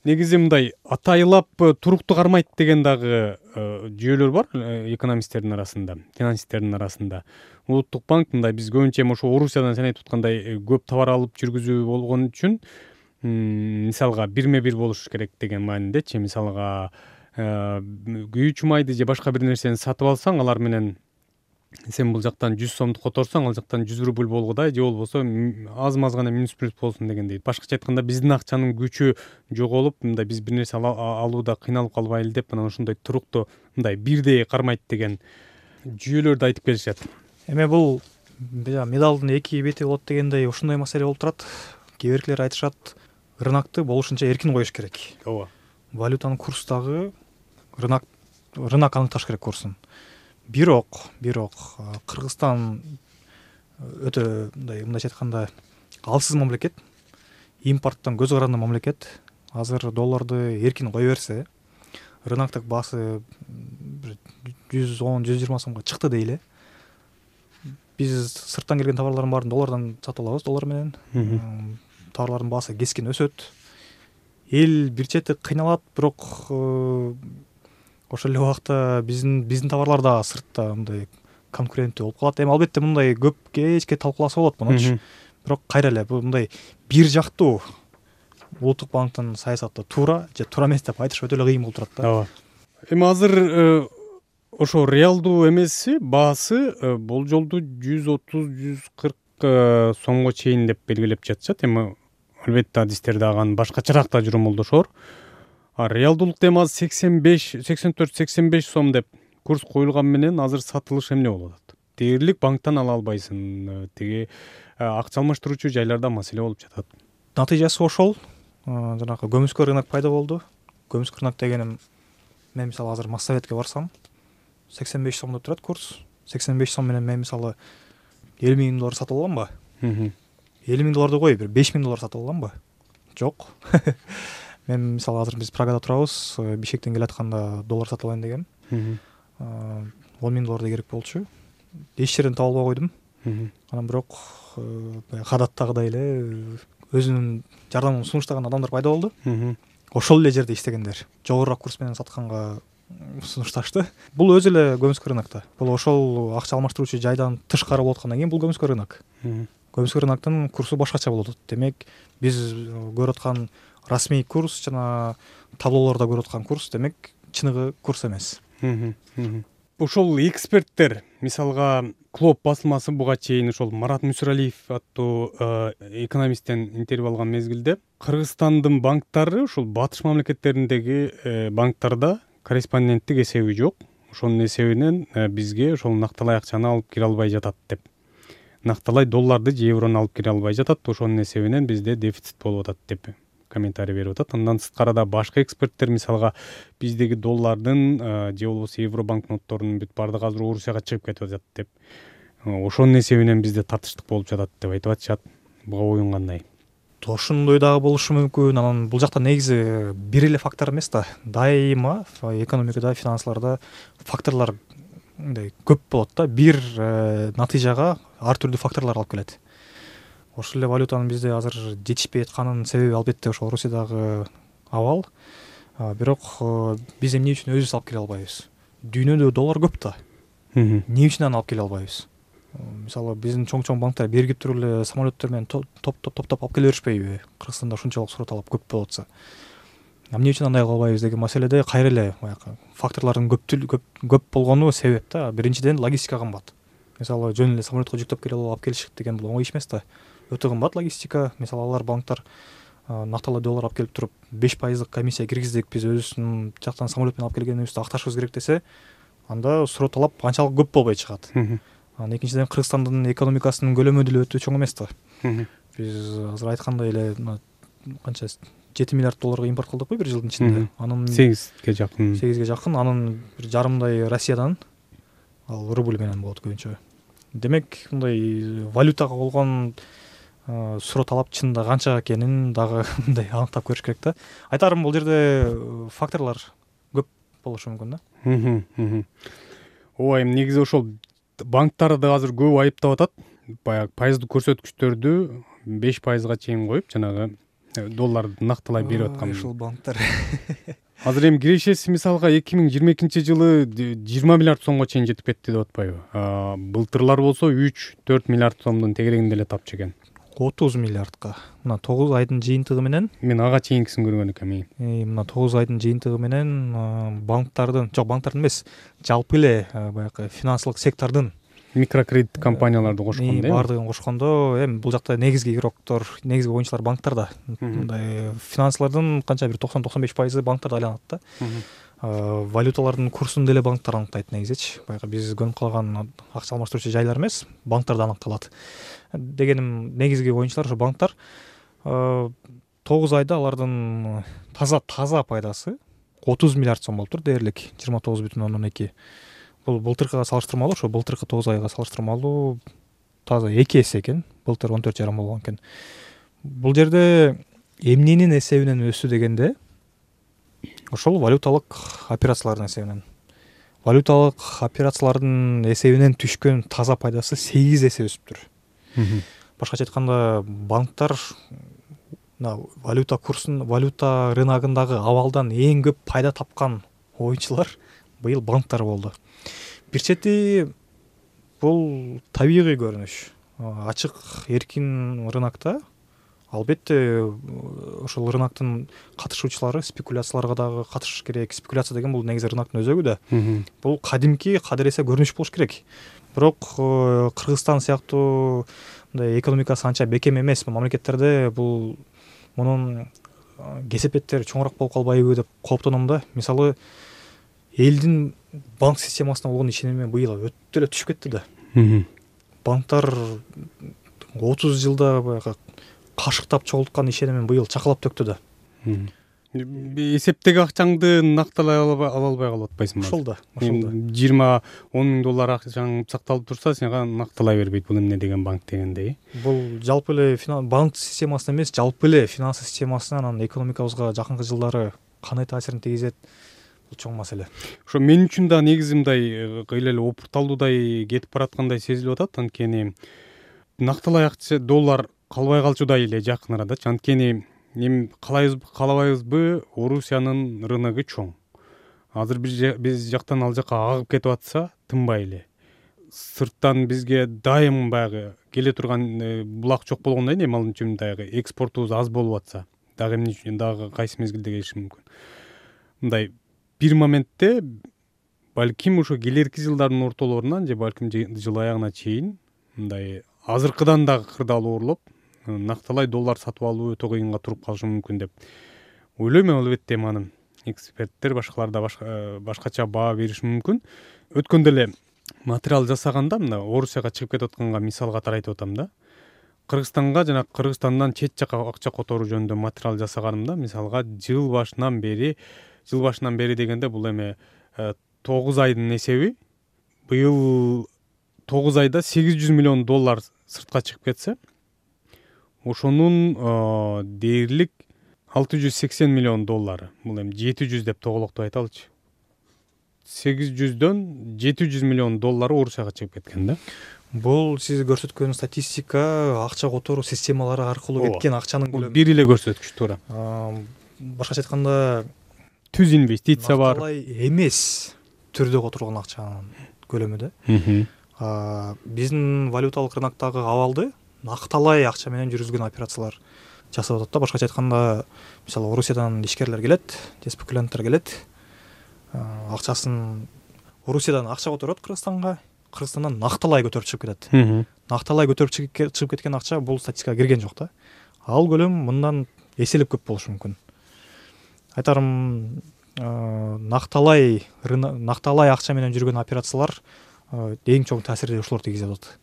негизи мындай атайлап туруктуу кармайт деген дагы жүйөлөр бар экономисттердин арасында, финансисттердин арасында. Улуттук банк мындай биз көбүнчө эми ошо Орусиядан сен айтып аткандай көп товар алып жүргүзүү болгон үчүн мисалга бирме бир болуш керек деген маанидечи. Мисалга күйүүчү майды же башка бир нерсени сатып алсаң, алар менен сен бул жактан 100 сомду которсоң, ал жактан 100 рубль болгудай, же болбосо аз-маз гана минус плюс болсун дегендей. Башкача айтканда биздин акчанын күчү жоголуп, мындай биз бир нерсе алууда кыйналып калбайлы деп, анан ошондой туруктуу мындай бирдей кармайт деген жүйөлөрдү айтып келишет. Эми бул медалдын эки бети болот дегендей ошондой маселе болуп турат. Кээ биркилер айтышат, рынокты болушунча эркин коюш керек. Ооба. Валютанын курсу дагы рынок аныкташ керек курсун. Бирок Кыргызстан өтө мындайча айтканда алсыз мамлекет, импорттон көз каранды мамлекет. Азыр долларды эркин кое берсе, рыноктук баасы 110-120 сомго чыкты дейли. Биз сырттан келген товарлардын баарын доллардан сатып алабыз, доллар менен. Товарлардын баасы кескин өсөт. Эл бир чети кыйналат, бирок ошол эле убакта биздин товарлар да сыртта мындай конкуренттүү болуп калат. Эми албетте мындай көп кечке талкууласа болот мунучу. Бирок кайра эле бул мындай бир жактуу улуттук банктын саясаты туура же туура эмес деп айтыш өтө эле кыйын болуп турат да. Ооба. Эми азыр ошо реалдуу эмеси баасы болжолду 130-140 сомго чейин деп белгилеп жатышат. Эми албетте адистерде аган башкачараак да жоромолдошор. Реалдуулукта эми азыр 84-85 сом деп курс коюлган менен азыр сатылыш эмне болуп атат? Дээрлик банктан ала албайсың, тиги акча алмаштыруучу жайларда маселе болуп жатат. Натыйжасы ошол. Жанагы көмүскө рынок пайда болду. Көмүскө рынок дегеним, мен мисалы азыр Моссоветке барсам, 85 сом деп турат курс. 85 сом менен мен мисалы 50 000 доллар сатып алганбы? 50 000 долларды кой, бир 5 000 доллар сатып алганбы? Жок. Мен мисалы азыр биз Прагада турабыз, Бишкектен келатканда доллар сатып алайын дегем. 10 000 доллардай керек болчу. Эч жерден таба албай койдум. Анан бирок кадаттагыдай эле өзүнүн жардамын сунуштаган адамдар пайда болду. Ошол эле жерде иштегендер жогорураак курс менен сатканга сунушташты. Бул өзү эле көмүскө рынокто. Бул ошол акча алмаштыруучу жайдан тышкары болуп аткандан кийин бул көмүскө рынок. Көмүскө рыноктун курсу башкача болот. Демек биз көрүп аткан расмий курс жана таблолордо көрүп аткан курс демек чыныгы курс эмес. Ошол эксперттер, мисалга Клоп басылмасы буга чейин ошол Марат Мүсүралиев аттуу экономисттен интервью алган мезгилде Кыргызстандын банктары ошол батыш мамлекеттериндеги банктарда корреспонденттик эсеби жок. Ошонун эсебинен бизге ошол накталай акчаны алып кире албай жатат деп. Накталай долларды же еврону алып кире албай жатат. Ошонун эсебинен бизде дефицит болуп атат деп комментарий берип атат. Андан сырткарыда башка эксперттер мисалга биздеги доллардын же болбосо евро банкнотторунун бүт баардыгы азыр Орусияга чыгып кетип атат деп. Ошонун эсебинен бизде татыштык болуп жатат деп айтып атышат. Буга оюң кандай? Ошондой дагы болушу мүмкүн. Анан бул жакта негизи бир эле фактор эмес да. Дайыма экономикада, финансларда факторлор мындай көп болот да. Бир натыйжага ар түрдүү факторлор алып келет. Ошол эле валютанын бизде азыр жетишпей атканын себеби албетте ошол Орусиядагы абал. бирок биз эмне үчүн өзүбүз алып келе албайбыз? Дүйнөдө доллар көп да. Эмне үчүн аны алып келе албайбыз? Мисалы биздин чоң банктар бергип туруп эле самолеттер менен топ алып келе беришпейби? Кыргызстанда ушунчалык сурат алып көп болуп атса. Эмне үчүн андай кыла албайбыз деген маселеде кайра эле баягы факторлордун көп болгону себеп да. Биринчиден логистика кымбат. Мисалы жөн эле самолетко жүктөп алып келишик деген бул оңой иш эмес да. Өтө кымбат логистика. Мисалы алар банктар накталуу доллар алып келип туруп 5% комиссия киргиздик, биз өзүбүздүн жактан самолет менен алып келгенибизди акташыбыз керек десе, анда суроо талап анчалык көп болбой чыгат. Анан экинчиден Кыргызстандын экономикасынын көлөмү деле өтө чоң эмес да. Биз азыр айткандай эле канча 7 миллиард долларга импорт кылдыкпы бир жылдын ичинде. Анын 8ге жакын. Анын бир жарымдай Россиядан, ал рубль менен болот көбүнчө. Демек, мындай валютага болгон суроо талап чынында канча экенин дагы мындай аныктап көрүш керек да. Айтарым, бул жерде факторлор көп болушу мүмкүн да. Ооба, эми негизи ошол банктарды азыр көп айыптап атат. Баягы пайыздык көрсөткүчтөрдү 5%га чейин коюп, жанагы долларды накталай берип аткан. Ушул банктар. Азыр эми кирешеси мисалга 2022 жылы 20 миллиард сомго чейин жетип кетти деп атпайбы? Былтырлар болсо 3-4 миллиард сомдун тегерегинде эле тапчу экен. 30 миллиардка. Мына 9 айдын жыйынтыгы менен, мен ага чейинкисин көргөн экенмин. Мына 9 айдын жыйынтыгы менен банктардын эмес, жалпы эле баягы финансылык сектордун микрокредит компанияларды кошкондо, баардыгын кошкондо, эми бул жакта негизги игроктор, негизги оюнчулар банктар да. Мындай финансылардын канча бир 90-95% банктарда айланат да. Валюталардын курсун деле банктар аныктайт негизичи. Баягы биз көнүп калган акча алмаштыруучу жайлар эмес, банктарда аныкталат. Дегеним, негизги оюнчулар ошо банктар. 9 айда алардын таза пайдасы 30 миллиард сом болуптур дээрлик, 29,2. Бул былтыркыга салыштырмалуу, ошо былтыркы 9 айга салыштырмалуу таза 2 эсе экен. Былтыр 14,5 болгон экен. Бул жерде эмненин эсебинен өссү дегенде, ошол валюталык операциялардын эсебинен. Валюталык операциялардын эсебинен түшкөн таза пайдасы 8 эсе өсүптүр. Башкача айтканда, банктар валюта курсун, валюта рыногундагы абалдан эң көп пайда тапкан оюнчулар быйыл банктар болду. Бир чети бул табигый көрүнүш. Ачык эркин рынокто албетте ошол рыноктун катышуучулары спекуляцияларга дагы катышыш керек. Спекуляция деген бул негизи рыноктун өзөгү да. Бул кадимки кадыресе көрүнүш болуш керек. Бирок Кыргызстан сыяктуу мындай экономикасы анча бекем эмес мамлекеттерде бул мунун кесепеттери чоңураак болуп калбайбы деп кооптоном да. Мисалы, элдин банк системасына болгон ишеними быйыл өтө эле түшүп кетти да. Банктар 30 жылда баягы кашыктап чогулткан ишенимин быйыл чакалап төктү да. Эсептеги акчаңды накталай албай калып атпайсыңбы? Ошол да. 20-10 миң доллар акчаң сакталып турса, сенга накталай бербейт. Бул эмне деген банк дегендей. Бул жалпы эле банк системасына эмес, жалпы эле финанс системасына, анан экономикабызга жакынкы жылдары кандай таасирин тийгизет? Бул чоң маселе. Ошо мен үчүн да негизи мындай кыйла эле опурталуудай кетип бараткандай сезилип атат. Анткени накталай акча доллар калбай калчудай эле жакын арада. Анткени эми калабайбызбы, Орусиянын рыногу чоң. Азыр биз жактан ал жака агып кетип атса, тынбай эле. Сырттан бизге дайым баягы келе турган булак жок болгондон кийин, ал үчүн дагы экспортубуз аз болуп атса, дагы эмне үчүн, дагы кайсы мезгилде келиши мүмкүн. Мындай бир моментте балким ошо келерки жылдардын ортолорунан же балким жыл аягына чейин мындай азыркыдан дагы кырдаалуу урулуп, накталай доллар сатып алуу өтө кыйынга туруп калышы мүмкүн деп ойлойм. Албетте анын эксперттер, башкалар да башкача баа бериши мүмкүн. Өткөндө эле материал жасаганда, мына Орусияга чыгып кетип атканга мисал катары айтып атам да. Кыргызстанга жана Кыргызстандан чет жака акча которуу жөнүндө материал жасаганымда, мисалга жыл башынан бери дегенде бул эми 9 айдын эсеби, быйыл 9 айда 800 миллион доллар сыртка чыгып кетсе, ошонун дээрлик 680 миллион доллары, бул эми 700 деп тоголоктоп айталычы. 800дөн 700 миллион доллары Орусияга чыгып кеткен да. Бул сиз көрсөткөн статистика акча которуу системалары аркылуу кеткен акчанын көлөмү. Бир эле көрсөткүч туура. Башкача айтканда, түз инвестиция бар. Накталай эмес түрдө которгон акчанын көлөмү да. Биздин валюталык рыноктогу абалды накталай акча менен жүргүзгөн операциялар жасап атат да. Башкача айтканда, мисалы Орусиядан ишкерлер келет, же спекулянттар келет. Акчасын Орусиядан акча которот Кыргызстанга, Кыргызстандан накталай көтөрүп чыгып кетет. Накталай көтөрүп чыгып кеткен акча бул статистикага кирген жок да. Ал көлөм мындан эселеп көп болушу мүмкүн. Айтарым, накталай акча менен жүргөн операциялар эң чоң таасирди ушулар тийгизип атат.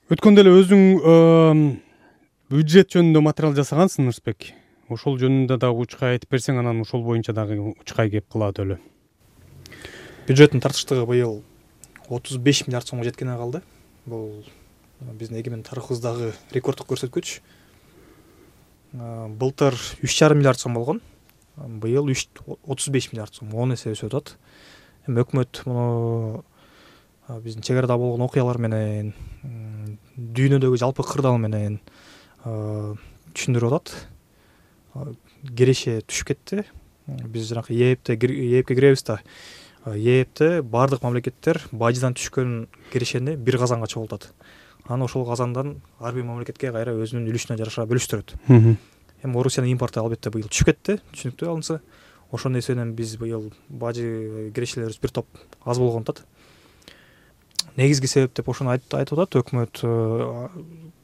Өткөндө эле өзүң бюджет жөнүндө материал жасагансың, Нурсбек. Ошол жөнүндө дагы учкай айтып берсең, анан ошол боюнча дагы учкай кеп кылат эле. Бюджеттин тартыштыгы быйыл 35 миллиард сомго жеткене калды. Бул биздин эгемен тарыхыбыздагы рекорддук көрсөткүч. Былтыр 3,5 миллиард сом болгон. Быйыл 35 миллиард сом, 10 эсе өсүп атат. Эми өкмөт муну биздин чек арада болгон окуялар менен, дүйнөдөгү жалпы кырдаал менен түшүндүрүп атат. Кереше түшүп кетти. Биз жанакы ЕЭПке киребиз да. ЕЭПте бардык мамлекеттер бажыдан түшкөн керешени бир казанга чогултат. Анан ошол казандан ар бир мамлекетке кайра өзүнүн үлүшүнө жараша бөлүштүрөт. Эми Орусиянын импорту албетте быйыл түшүп кетти, түшүнүктүү алынса. Ошондой эсебинен биз быйыл бажы керешелерибиз бир топ аз болгон атат. Негизги себеп деп ошону айтып атат өкмөт.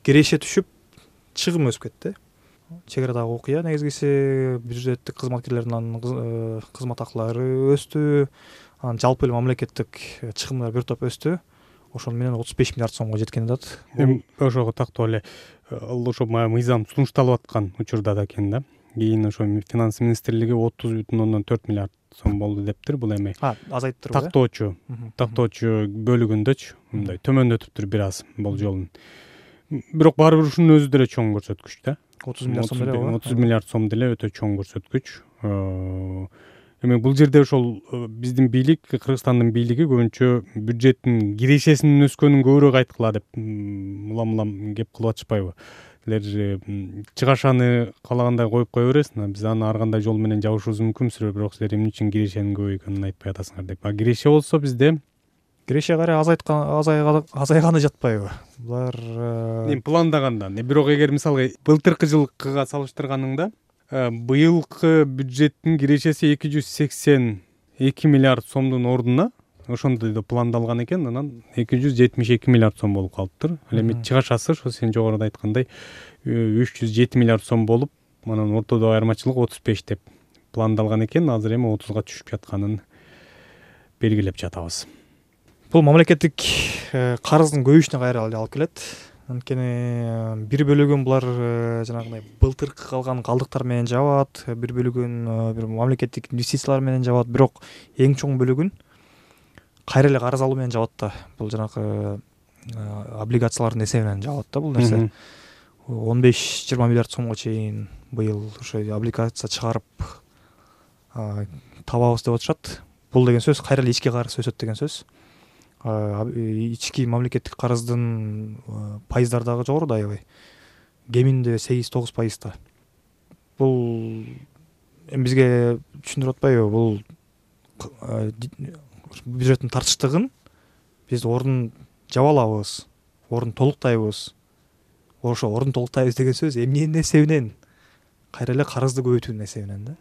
Кереше түшүп, чыгым өсүп кетти. Чек арадагы окуя негизгиси бюджеттик кызматкерлердин кызмат акылары өстү. Анан жалпы эле мамлекеттик чыгымдар бир топ өстү. Ошону менен 35 миллиард сомго жеткен атат. Эми ошого тактоо эле ошо мыйзам сунушталып аткан учурда да экен да. Кийин ошо финанс министрлиги 30,4 миллиард сом болду дептир. Бул эми азайттырбы? Тактоочу бөлүгүндөчү мындай төмөндөтүптүр бир аз бул жолун. Бирок баары бир ушунун өзү деле чоң көрсөткүч да. 30 миллиард сом деле. 30 миллиард сом деле өтө чоң көрсөткүч. Эми бул жерде ошол биздин бийлик, Кыргызстандын бийлиги көбүнчө бюджеттин кирешесинин өскөнүн көбүрөөк айткыла деп улам кеп кылып атышпайбы? Силер чыгашаны каалагандай коюп кое бересиңер. Биз аны ар кандай жол менен жабышыбыз мүмкүн, бирок силер эмне үчүн кирешенин көбөйгөнүн айтпай атасыңар деп. Киреше болсо бизде киреше кайра азайганы жатпайбы? Булар пландаганда. Бирок эгер мисалга былтыркы жылкыга салыштырганыңда, быйылкы бюджеттин кирешеси 282 миллиард сомдун ордуна ошондой да пландалган экен, анан 272 миллиард сом болуп калыптыр. Ал эми чыгашасы ошо сен жогоруда айткандай 307 миллиард сом болуп, анан ортодогу айырмачылык 35 деп пландалган экен. Азыр эми 30га түшүп жатканын белгилеп жатабыз. Бул мамлекеттик карыздын көбөйүшүнө кайра алып келет. Анткени бир бөлүгүн булар жанагындай былтыркы калган калдыктар менен жабат, бир бөлүгүн бир мамлекеттик инвестициялар менен жабат, бирок эң чоң бөлүгүн кайра эле карыз алуу менен жабат да. Бул жанагы облигациялардын эсебинен жабат да бул нерсе. 15-20 миллиард сомго чейин быйыл ошо облигация чыгарып табабыз деп атышат. Бул деген сөз кайра эле ички карыз өсөт деген сөз. Ички мамлекеттик карыздын пайыздары дагы жогору да аябай. Кеминде 8-9% да. Бул эми бизге түшүндүрүп атпайбы? Бул бюджеттин тартыштыгын биз ордун жаба алабыз, ордун толуктайбыз. Ошо ордун толуктайбыз деген сөз эмненин эсебинен? Кайра эле карызды көбөйтүүнүн эсебинен да.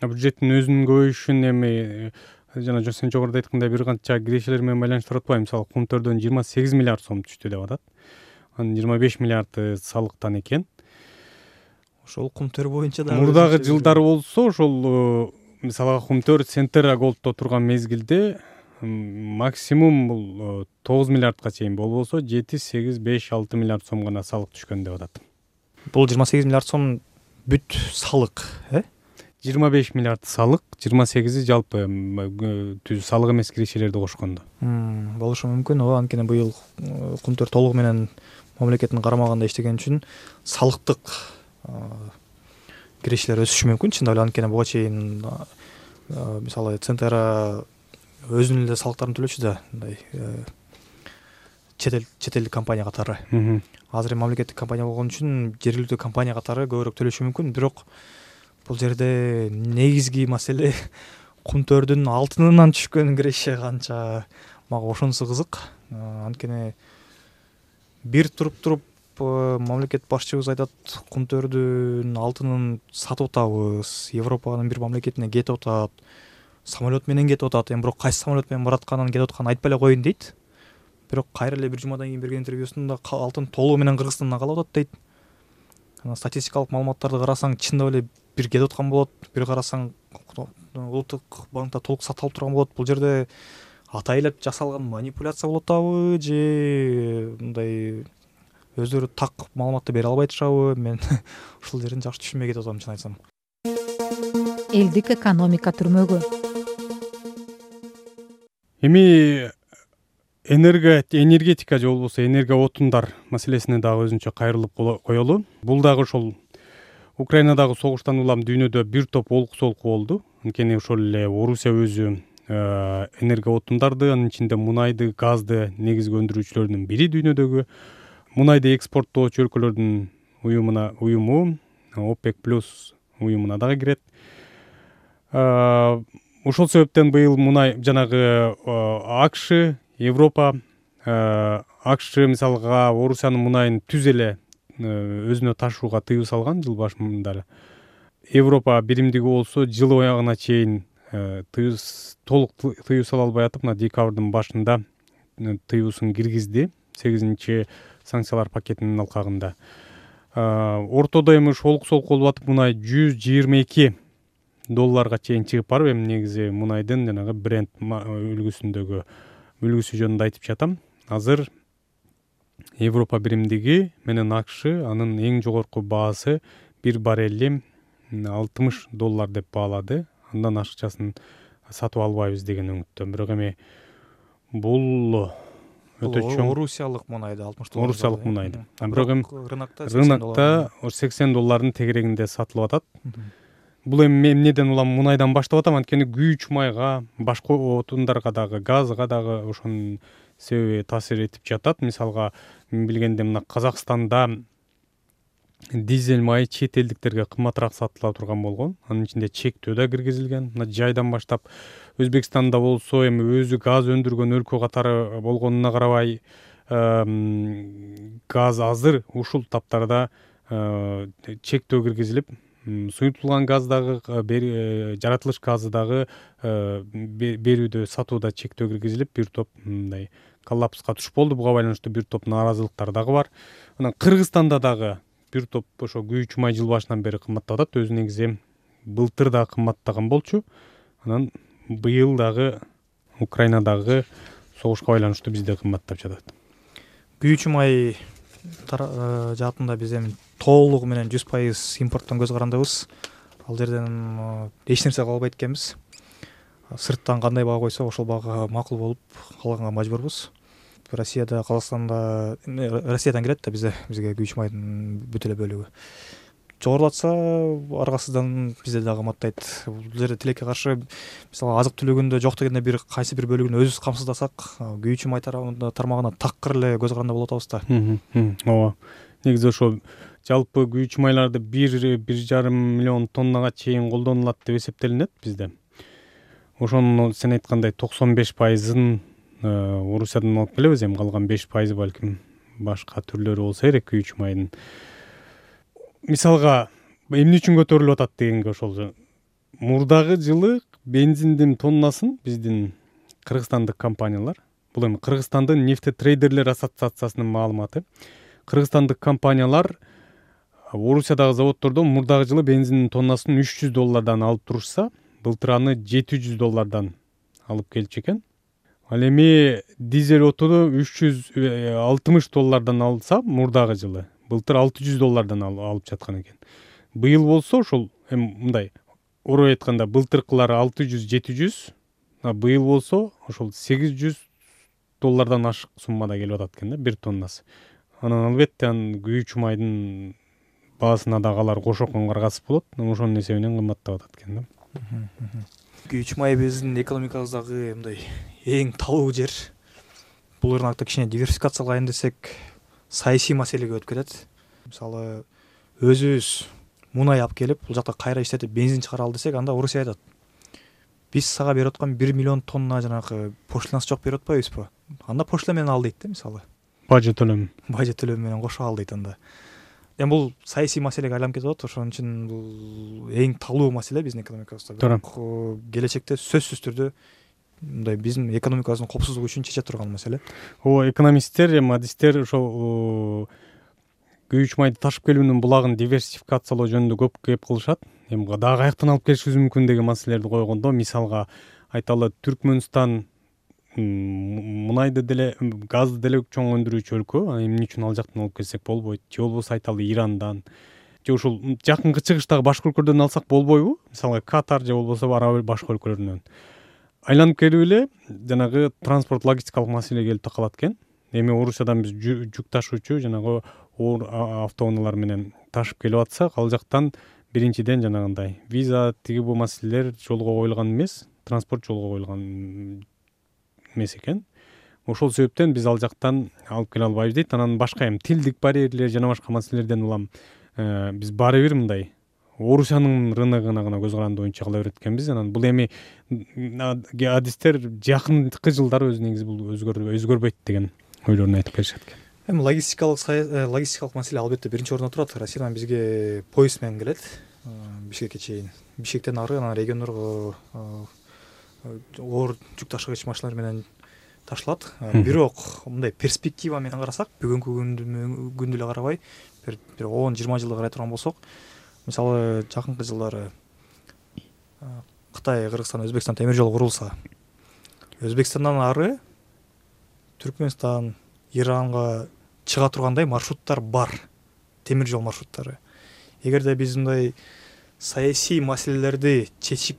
Бюджеттин өзүнүн көбөйүшүн эми жана сен жогоруда айткандай бир канча кирешелер менен байланыштырып атпайбы? Мисалы кум төрдөн 28 миллиард сом түштү деп атат. Анын 25 миллиарды салыктан экен. Ошол кум төр боюнча да мурдагы жылдары болсо ошол мисалга кум төр Центра Голдто турган мезгилде максимум бул 9 миллиардга чейин болбосо 7, 8, 5, 6 миллиард сом гана салык түшкөн деп атат. Бул 28 миллиард сом бүт салык, 25 миллиард салык, 28-и жалпы түз салык эмес кирешелерди кошкондо. Болушу мүмкүн. Анткени быйыл кум төр толугу менен мамлекеттин карамагында иштеген үчүн салыктык кирешелер өсүшү мүмкүн. Чындап эле анткени буга чейин мисалы Центра өзүнүн эле салыктарын төлөчү да, мындай чет элдик компания катары. Азыр мамлекеттик компания болгон үчүн жергиликтүү компания катары көбүрөөк төлөшү мүмкүн, бирок бул жерде негизги маселе кумтөрдүн алтынынан түшкөн киреше канча, мага ошонусу кызык. Анткени бир туруп мамлекет башчыбыз айтат, кумтөрдүн алтынын сатып атабыз, Европанын бир мамлекетине кетип атат, самолет менен кетип атат. Эми бирок кайсы самолет менен баратканын, кетип атканын айтпай эле коеюн дейт. Бирок кайра эле бир жумадан кийин берген интервьюсунда алтын толугу менен Кыргызстандан калып атат дейт. Статистикалык маалыматтарды карасаң, чындап эле бир кетип аткан болот, бир карасаң улуттук банкта толук сатылып турган болот. Бул жерде атайлап жасалган манипуляция болуп атабы же мындай өздөрү так маалыматты бере албай турабы? Мен ушул жерин жакшы түшүнбөй кетип атам, чын айтсам. Элдик экономика түрмөгү. Эми энергетика же болбосо энергия отундар маселесине дагы өзүнчө кайрылып коелу. Бул дагы ошол Украинадагы согуштан улам дүйнөдө бир топ олку-солку болду. Анткени ошол эле Орусия өзү энергия отундарды, анын ичинде мунайды, газды негизги өндүрүүчүлөрдүн бири дүйнөдөгү. Мунайды экспорттоочу өлкөлөрдүн уюму ОПЕК+ уюмуна дагы кирет. Ошол себептен быйыл мунай жанагы АКШ, Европа, АКШ мисалга Орусиянын мунайын түз эле өзүнө ташууга тыюу салган жыл башында. Европа биримдиги болсо жыл аягына чейин толук тыюу сала албай атып, мына декабрдын башында тыюусун киргизди 8-чи санкциялар пакетинин алкагында. Ортодо эми ошол олку-солку болуп атып, мунай $122 чейин чыгып барып, эми негизи мунайдын жанагы Brent үлгүсү жөнүндө айтып жатам. Азыр Европа биримдиги менен АКШ анын эң жогорку баасы бир баррели $60 деп баалады. Андан ашыкчасын сатып албайбыз деген өңүттө. Бирок эми бул өтө чоң Орусиялык мунайды $60. Орусиялык мунайды. Бирок эми рынокто $80 тегерегинде сатылып атат. Бул эми эмнеден улам мунайдан баштап атам, анткени күйүүчү майга, башка отундарга дагы, газга дагы ошонун себеби таасир этип жатат. Мисалга мен билгенде мына Казакстанда дизель майы чет элдиктерге кымбатыраак сатыла турган болгон. Анын ичинде чектөө да киргизилген. Мына жайдан баштап Өзбекстанда болсо эми өзү газ өндүргөн өлкө катары болгонуна карабай газ азыр ушул таптарда чектөө киргизилип, суютулган газ дагы, жаратылыш газы дагы берүүдө, сатууда чектөө киргизилип, бир топ мындай коллапска туш болду. Буга байланыштуу бир топ нааразылыктар дагы бар. Анан Кыргызстанда дагы бир топ ошо күйүүчү май жыл башынан бери кымбаттап атат. Өзү негизи былтыр да кымбаттаган болчу. Анан быйыл дагы Украинадагы согушка байланыштуу бизде кымбаттап жатат. Күйүүчү май жаатында биз эми толугу менен 100% импорттон көз карандыбыз. Ал жерден эч нерсе кала албайт экенбиз. Сырттан кандай баа койсо ошол баага макул болуп калганга мажбурбуз. Россияда, Казакстанда, Россиядан кирет да бизге күйүүчү майдын бүт эле бөлүгү. Жогорулатса аргасыздан бизде дагы кымбаттайт. Бул жерде тилекке каршы, мисалы азык түлүгүндө жок дегенде бир кайсы бир бөлүгүн өзүбүз камсыздасак, күйүүчү май тармагына такыр эле көз каранда болуп атабыз да. Ооба. Негизи ошо жалпы күйүүчү майларды 1,5 миллион тоннага чейин колдонулат деп эсептелинет бизде. Ошонун сен айткандай 95%-ын Орусиядан алып келебиз, эми калган 5% балким башка түрлөрү болсо керек күйүүчү майдын. Мисалга эмне үчүн көтөрүлүп атат дегенге, ошол мурдагы жылы бензиндин тоннасын биздин кыргызстандык компаниялар, бул эми Кыргызстандын нефтетрейдерлер ассоциациясынын маалыматы, кыргызстандык компаниялар Орусиядагы заводдордон мурдагы жылы бензиндин тоннасын $300 алып турушса, былтыр аны $700 алып келчү экен. Ал эми дизель отуну $360 алса мурдагы жылы, былтыр $600 алып жаткан экен. Быйыл болсо ошол эми мындай орой айтканда былтыркылары 600-700, быйыл болсо ошол $800 ашык суммада келип атат экен да, бир тоннасы. Анан албетте күйүүчү майдын баасына дагы алар кошокон каргасып болот, ошонун эсебинен кымбаттап атат экен да. Күйүүчү май биздин экономикабыздагы мындай эң талуу жер. Бул рынокто кичине диверсификациялайын десек, саясий маселеге өтүп кетет. Мисалы, өзүбүз мунай алып келип бул жакта кайра иштетип бензин чыгара ал десек, анда Орусия айтат: биз сага берип аткан 1 миллион тонна жанагы пошлинасы жок берип атпайбызбы? Анда пошлина менен ал дейт да, мисалы. Бажы төлөм менен кошо ал дейт анда. Эми бул саясий маселеге айланып кетип атат, ошон үчүн бул эң талуу маселе биздин экономикабызда. Бирок келечекте сөзсүз түрдө мындай биздин экономикабыздын коопсуздугу үчүн чече турган маселе. Экономисттер, эми адистер ошол күйүүч майды ташып келүүнүн булагын диверсификациялоо жөнүндө көп кеп кылышат. Эми дагы каяктан алып келишибиз мүмкүн деген маселелерди койгондо, мисалга айталы, Түркмөнстан мунайды деле, газды деле чоң өндүрүүчү өлкө. Эмне үчүн ал жактан алып келсек болбойт? Же болбосо айталы Ирандан, же ушул жакынкы чыгыштагы башка өлкөлөрдөн алсак болбойбу? Мисалга Катар же болбосо араб башка өлкөлөрүнөн. Айланып келип эле жанагы транспорт логистикалык маселе келип такалат экен. Эми Орусиядан биз жүк ташуучу жанагы оор автоунаалар менен ташып келип атсак, ал жактан биринчиден жанагындай виза тиги бул маселелер жолго коюлган эмес, транспорт жолго коюлган эмес экен. Ошол себептен биз ал жактан алып келе албайбыз дейт. Анан башка эми тилдик барьерлер жана башка маселелерден улам биз баары бир мындай Орусиянын рыногуна гана көз каранды боюнча кыла берет экенбиз. Анан бул эми адистер жакынкы жылдары өз негизи бул өзгөрбөйт деген ойлорун айтып келишет экен. Эми логистикалык маселе албетте биринчи орунда турат. Россиядан бизге поезд менен келет Бишкекке чейин. Бишкектен ары анан региондорго оор жүк ташыгыч машиналар менен ташылат. Бирок мындай перспектива менен карасак, бүгүнкү күндү эле карабай, бир 10-20 жылды карай турган болсок, мисалы жакынкы жылдары Кытай, Кыргызстан, Өзбекстан темир жол курулса, Өзбекстандан ары Түркмөнстан, Иранга чыга тургандай маршруттар бар, темир жол маршруттары. Эгерде биз мындай саясий маселелерди чечип,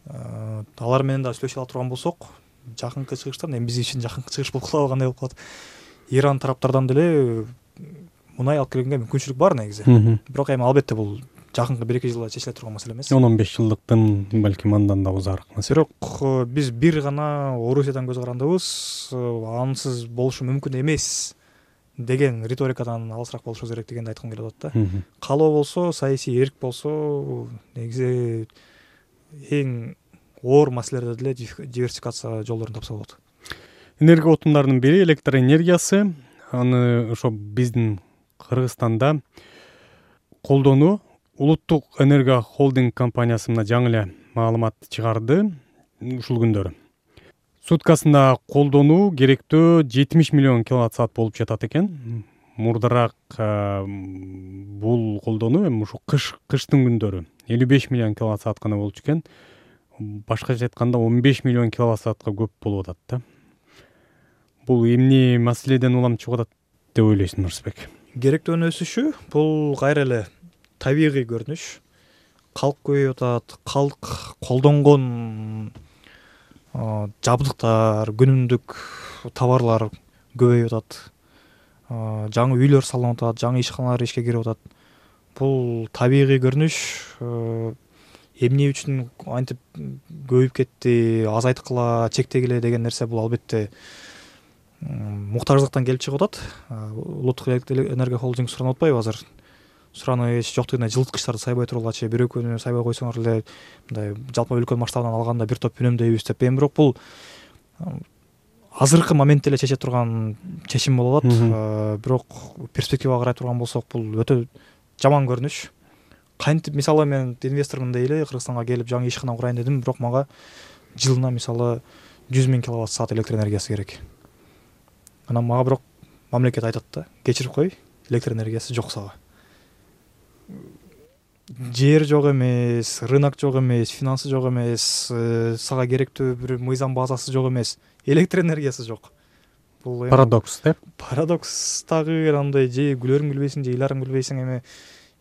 алар менен да сүйлөшө ала турган болсок, жакынкы чыгыштан, эми биз үчүн жакынкы чыгыш болуп калгандай болуп калат. Иран тараптардан деле мунай алып келгенге мүмкүнчүлүк бар негизи. Бирок эми албетте бул жакынкы 1-2 жылда чечиле турган маселе эмес. 10-15 жылдыктын балким андан да узаараак маселе. Бирок биз бир гана Орусиядан көз карандыбыз, ансыз болушу мүмкүн эмес деген риторикадан алысыраак болушубуз керек дегенди айткым келип атат да. Калоо болсо, саясий эрк болсо, негизи эң оор маселелерде деле диверсификация жолдорун тапса болот. Энергия отундарынын бири электр энергиясы. Аны ошо биздин Кыргызстанда колдонуу Улуттук энергия холдинг компаниясы мына жаңы эле маалымат чыгарды ушул күндөрү. Суткасында колдонуу керектөө 70 миллион киловатт саат болуп жатат экен. Мурдараак бул колдонуу эми ушу кыштын күндөрү 55 миллион киловатт саат гана болчу экен. Башкача айтканда 15 миллион киловатт саатка көп болуп атат да. Бул эмне маселеден улам чыгып атат деп ойлойсуң, Нурсбек? Керектөөнүн өсүшү бул кайра эле табигый көрүнүш. Калк көбөйүп атат, калк колдонгон жабдыктар, күнүмдүк товарлар көбөйүп атат. Жаңы үйлөр салынып атат, жаңы ишканалар ишке кирип атат. Бул табигый көрүнүш. Эмне үчүн антип көбөйүп кетти, азайткыла, чектегиле деген нерсе бул албетте муктаждыктан келип чыгып атат. Улуттук энергия холдинг суранып атпайбы азыр? Сураныч жоктугуна жылыткычтарды сайбай тургулачы, бир экөөнү сайбай койсоңор эле мындай жалпы өлкө масштабынан алганда бир топ үнөмдөйбүз деп. Эми бирок бул азыркы моментте эле чече турган чечим болуп атат. Бирок перспективага карай турган болсок, бул өтө жаман көрүнүш. Кантип мисалы мен инвестормун дей эле Кыргызстанга келип жаңы ишкана курайын дедим, бирок мага жылына мисалы 100 000 киловатт саат электр энергиясы керек. Анан мага бирок мамлекет айтат да, кечирип кой, электр энергиясы жок сага. Жер жок эмес, рынок жок эмес, финансы жок эмес, сага керектүү бир мыйзам базасы жок эмес, электр энергиясы жок. Бул парадокс да? Парадокс дагы андай же күлөрүң күлбөйсүң, же ыйларың күлбөйсүң, эми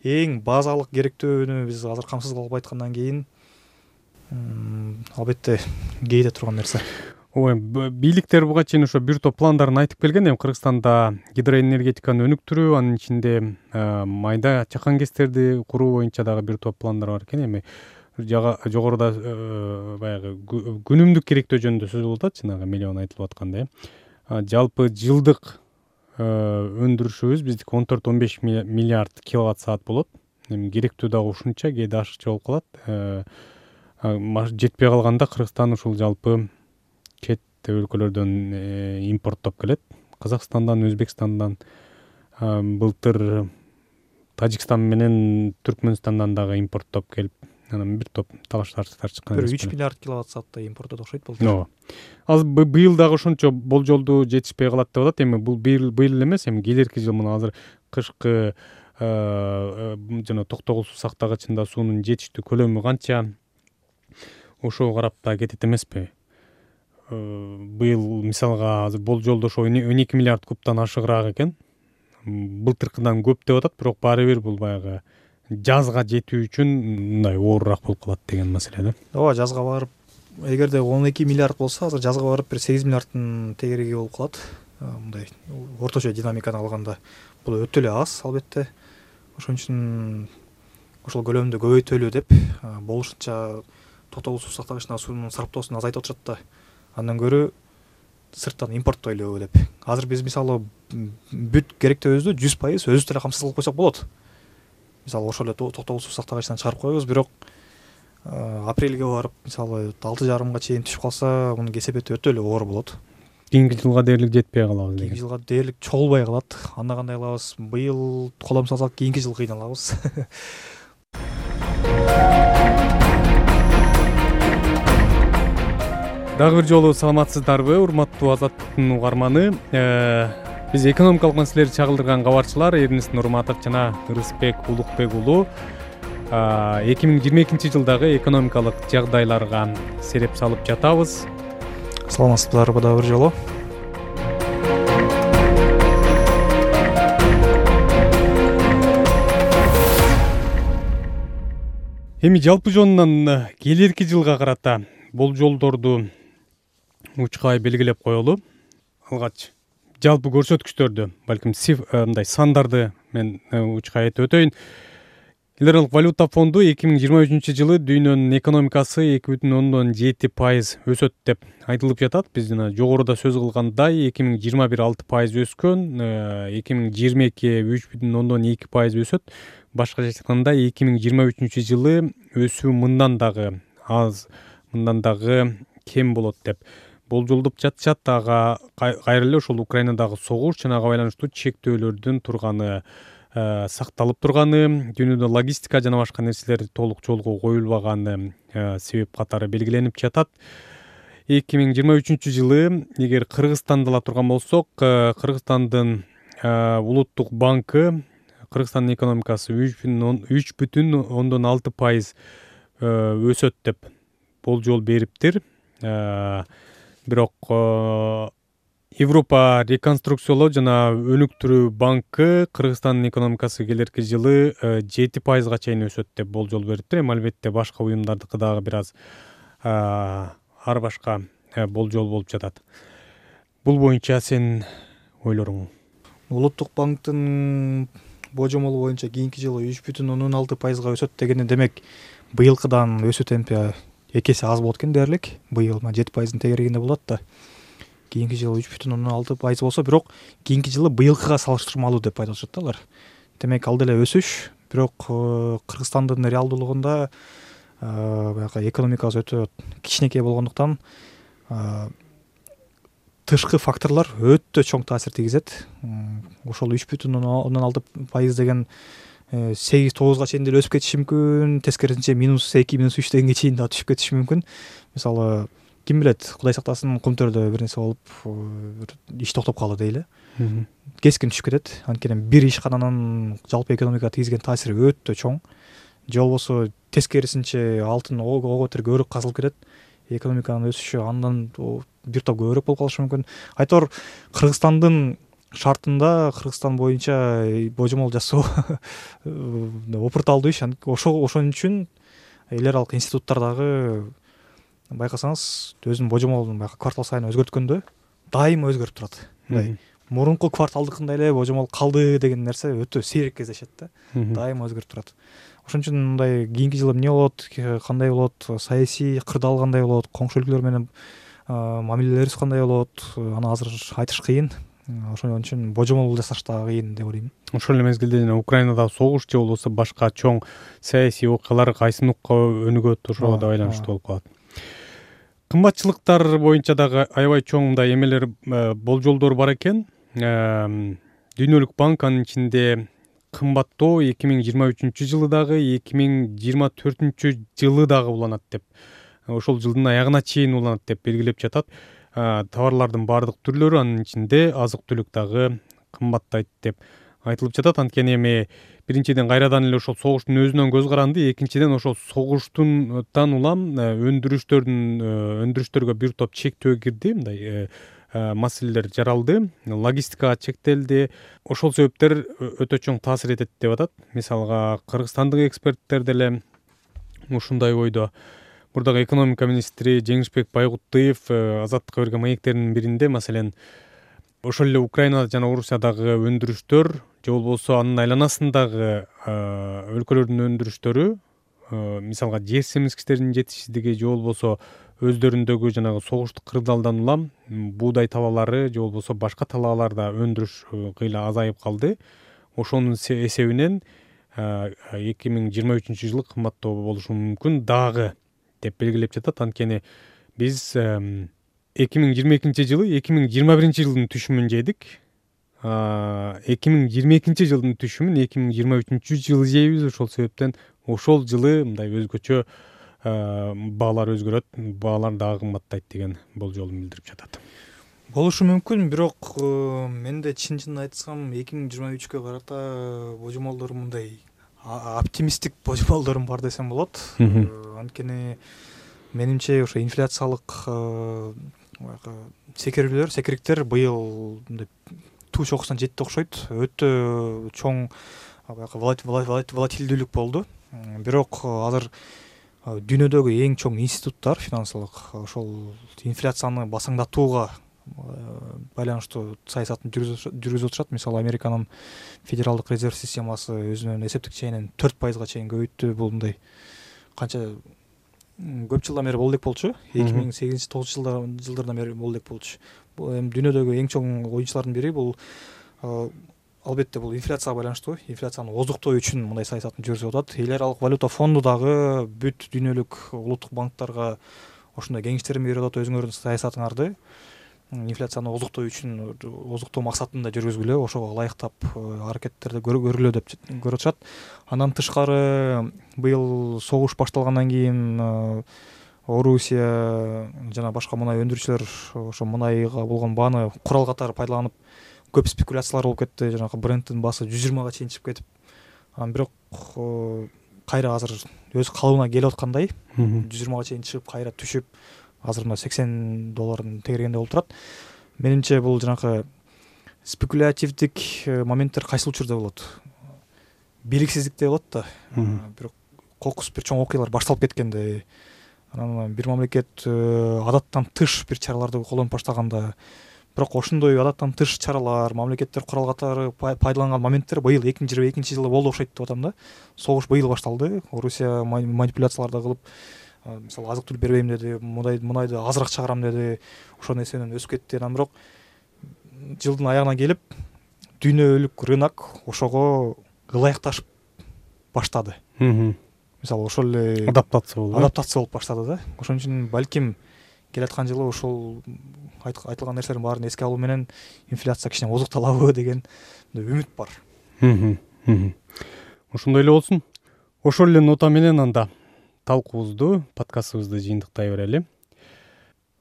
эң базалык керектөөнү биз азыр камсыз кылып айткандан кийин албетте кейде турган нерсе. Бийликтер буга чейин ошо бир топ пландарын айтып келген. Эми Кыргызстанда гидроэнергетиканы өнүктүрүү, анын ичинде майда чакан кестерди куруу боюнча дагы бир топ пландар бар экен. Эми жогоруда баягы күнүмдүк керектөө жөнүндө сөз болуп атат, жанагы миллион айтылып аткандай. Жалпы жылдык өндүрүшүбүз биздики 14-15 миллиард киловатт саат болот. эми керектүү дагы ушунча, кээде ашыкча болуп калат. Жетпей калганда Кыргызстан ушул жалпы чет өлкөлөрдөн импорттоп келет. Казакстандан, Өзбекстандан, былтыр Тажикстан менен Түркмөнстандан дагы импорттоп келип, анан бир топ талаш-тартыштар чыккан. 3 миллиард киловатт сааттай импорттоп окшойт болду. Ооба. Азыр быйыл дагы ошончо болжолду жетишпей калат деп атат. Эми бул быйыл эле эмес, эми келерки жыл мына азыр кышкы жана токтогул суу сактагычында суунун жетиштүү көлөмү канча, ошого карап да кетет эмеспи? Быйыл мисалга азыр болжолдо ошо 12 миллиард кубтан ашыгыраак экен. Былтыркыдан көп деп атат, бирок баары бир бул баягы жазга жетүү үчүн мындай оорураак болуп калат деген маселе да. Ооба, жазга барып, эгерде 12 миллиард болсо, азыр жазга барып бир 8 миллиардтын тегереги болуп калат. Мындай орточо динамиканы алганда бул өтө эле аз, албетте. Ошон үчүн ошол көлөмдү көбөйтөлү деп, болушунча токтогул суу сактагычына суунун сарптоосун азайтып отурат да. Андан көрө сырттан импорттойлу деп. Азыр биз мисалы бүт керектөөбүздү 100% өзүбүз деле камсыз кылып койсок болот. Мисалы ошол эле токтогул суу сактагычтан чыгарып коебуз, бирок апрелге барып мисалы 6,5 чейин түшүп калса, мунун кесепети өтө эле оор болот. Кийинки жылга дээрлик жетпей калабыз деген. Кийинки жылга дээрлик чогулбай калат. Анда кандай кылабыз? Быйыл колом салсак, кийинки жылы кыйналабыз. Дагы бир жолу саламатсыздарбы, урматтуу Азаттыктын угарманы. Биз экономикалык маселелерди чагылдырган кабарчылар Эрнест Нурматов жана Ырысбек Улукбек уулу 2022 жылдагы экономикалык жагдайларга сереп салып жатабыз. Саламатсыздарбы дагы бир жолу. Эми жалпы жонунан келерки жылга карата болжолдорду учкай белгилеп коелу. Алгач жалпы көрсөткүчтөрдү, балким мындай сандарды мен учкай айтып өтөйүн. Эл аралык валюта фонду 2023 жылы дүйнөнүн экономикасы 2,7% өсөт деп айтылып жатат. Биз жана жогоруда сөз кылгандай 2021 6% өскөн, 2022 3,2% өсөт. Башкача айтканда 2023 жылы өсүү мындан дагы аз, мындан дагы кем болот деп болжолдоп жатышат. Ага кайра эле ошол Украинадагы согуш жана ага байланыштуу чектөөлөрдүн турганы, сакталып турганы, дүйнөдө логистика жана башка нерселер толук жолго коюлбаганы себеп катары белгиленип жатат. 2023 жылы эгер Кыргызстанды ала турган болсок, Кыргызстандын улуттук банкы Кыргызстандын экономикасы 3,6% өсөт деп болжол бериптир. Бирок Европа реконструкциялоо жана өнүктүрүү банкы Кыргызстандын экономикасы келерки жылы 7%га чейин өсөт деп болжол бериптир. Эми албетте башка уюмдардыкы дагы бир аз ар башка болжол болуп жатат. Бул боюнча сенин ойлоруң? Улуттук банктын божомолу боюнча кийинки жылы 3,6%га өсөт дегени, демек быйылкыдан өсүү темпи 2 эсе аз болот экен дээрлик. Быйыл 7%-ын тегерегинде болот да. Кийинки жылы 3,6% болсо, бирок кийинки жылы быйылкыга салыштырмалуу деп айтып атышат алар. Демек ал деле өсүш, бирок Кыргызстандын реалдуулугунда баягы экономикасы өтө кичинекей болгондуктан тышкы факторлор өтө чоң таасир тийгизет. Ошол 3,6% деген 8-9га чейин деле өсүп кетиши мүмкүн, тескерисинче -2, -3 дегенге чейин да түшүп кетиши мүмкүн. Мисалы, ким билет, Кудай сактасын, Кумтөрдө бир нерсе болуп, иш токтоп калды дейли. Кескин түшүп кетет. Анткени бир ишкананын жалпы экономикага тийгизген таасири өтө чоң. Же болбосо тескерисинче алтын ого бетер көбүрөөк казылып кетет. Экономиканын өсүшү андан бир топ көбүрөөк болуп калышы мүмкүн. Айтор Кыргызстандын шартында, Кыргызстан боюнча божомол жасоо опурталдуу иш. Ошон үчүн эл аралык институттар дагы байкасаңыз өзүнүн божомолун квартал сайын өзгөрткөндө дайыма өзгөрүп турат. Мурунку кварталдыкындай эле божомол калды деген нерсе өтө сейрек кездешет да. Дайыма өзгөрүп турат. Ошон үчүн мындай кийинки жылы эмне болот, кандай болот, саясий кырдаал кандай болот, коңшу өлкөлөр менен мамилелерибиз кандай болот, аны азыр айтыш кыйын. ошон үчүн божомол жасаш да кыйын деп ойлойм. ошол эле мезгилде жана Украинадагы согуш же болбосо башка чоң саясий окуялар кайсы нукка өнүгөт, ошого да байланыштуу болуп калат. Кымбатчылыктар боюнча дагы аябай чоң мындай эмелер, болжолдор бар экен. Дүйнөлүк банк анын ичинде кымбаттоо 2023 жылы дагы 2024 жылы дагы уланат деп, ошол жылдын аягына чейин уланат деп белгилеп жатат. Товарлардын баардык түрлөрү, анын ичинде азык түлүк дагы кымбаттайт деп айтылып жатат. Анткени эми биринчиден кайрадан эле ошол согуштун өзүнөн көз каранды, экинчиден ошол согуштан улам өндүрүштөргө бир топ чектөө кирди, мындай маселелер жаралды, логистикага чектелди. Ошол себептер өтө чоң таасир этет деп атат. Мисалга кыргызстандык эксперттер деле ушундай ойдо. Бурдагы экономика министри Жеңишбек Байгуттуев Азаттыкка берген маектеринин биринде, маселен, ошол эле Украина жана Орусиядагы өндүрүштөр же болбосо анын айланасындагы өлкөлөрдүн өндүрүштөрү, мисалга жер семизгичтеринин жетишсиздиги же болбосо өздөрүндөгү жанагы согуштук кырдаалдан улам буудай талаалары же болбосо башка талааларда өндүрүш кыйла азайып калды. Ошонун эсебинен 2023 жылы кымбаттоо болушу мүмкүн дагы деп белгилеп жатат. Анткени биз 2022 жылы 2021 жылдын түшүмүн жейдик. 2022 жылдын түшүмүн 2023 жылы жейбиз. Ошол себептен ошол жылы мындай өзгөчө баалар өзгөрөт, баалар дагы кымбаттайт деген болжолун билдирип жатат. Болушу мүмкүн, бирок менде чын айтсам 2023-кө карата божомолдорум мындай оптимисттик божомолдорум бар десем болот. Анткени менимче ошо инфляциялык секириктер быйыл туу чокусуна жетти окшойт. Өтө чоң волатилдүүлүк болду. Бирок азыр дүйнөдөгү эң чоң институттар финансылык ошол инфляцияны басаңдатууга байланыштуу саясатын жүргүзүп отурат. Мисалы Американын федералдык резерв системасы өзүнүн эсептик чейинин 4%-га чейин көбөйттү. Бул мындай канча көп жылдан бери болдук болчу. 2008-9 жылдардан бери болдук болчу. Бул эми дүйнөдөгү эң чоң оюнчулардын бири. Бул албетте бул инфляцияга байланыштуу. Инфляцияны оздуктоо үчүн мындай саясатын жүргүзүп атат. Эл аралык валюта фонду дагы бүт дүйнөлүк улуттук банктарга ошондой кеңештерин берип атат. Өзүңөрдүн саясатыңарды инфляцияны оздуктоо үчүн, оздуктоо максатында жүргүзгүлө, ошого ылайыктап аракеттерди көргүлө деп көрүп атышат. Андан тышкары быйыл согуш башталгандан кийин Орусия жана башка мунай өндүрүүчүлөр ошо мунайга болгон бааны курал катары пайдаланып көп спекуляциялар болуп кетти. Жанагы брендтин баасы 120-га чейин чыгып кетип, бирок кайра азыр өз калыбына келип аткандай 120-га чейин чыгып кайра түшүп, азыр мына $80 тегергенде болуп турат. Менимче бул жанагы спекулятивдик моменттер кайсыл учурда болот? Белгисиздикте болот да. Бирок кокус бир чоң окуялар башталып кеткенде, анан бир мамлекет адаттан тыш бир чараларды колдонуп баштаганда, бирок ошондой адаттан тыш чаралар, мамлекеттер курал катары пайдаланган моменттер быйыл 2022 жылы болду окшойт деп атам да. Согуш быйыл башталды. Орусия манипуляцияларды кылып, мисалы азык түлүк бербейм деди, мунайды азыраак чыгарам деди, ошонун эсебинен өсүп кетти. Анан бирок жылдын аягына келип дүйнөлүк рынок ошого ылайыкташып баштады. Мисалы ошол эле адаптация болуп баштады да. Ошон үчүн балким келаткан жылы ошол айтылган нерселердин баарын эске алуу менен инфляция кичине оздукталабы деген үмүт бар. Ошондой эле болсун. Ошол эле нота менен анда талкуубузду, подкастыбызды жыйынтыктай берели.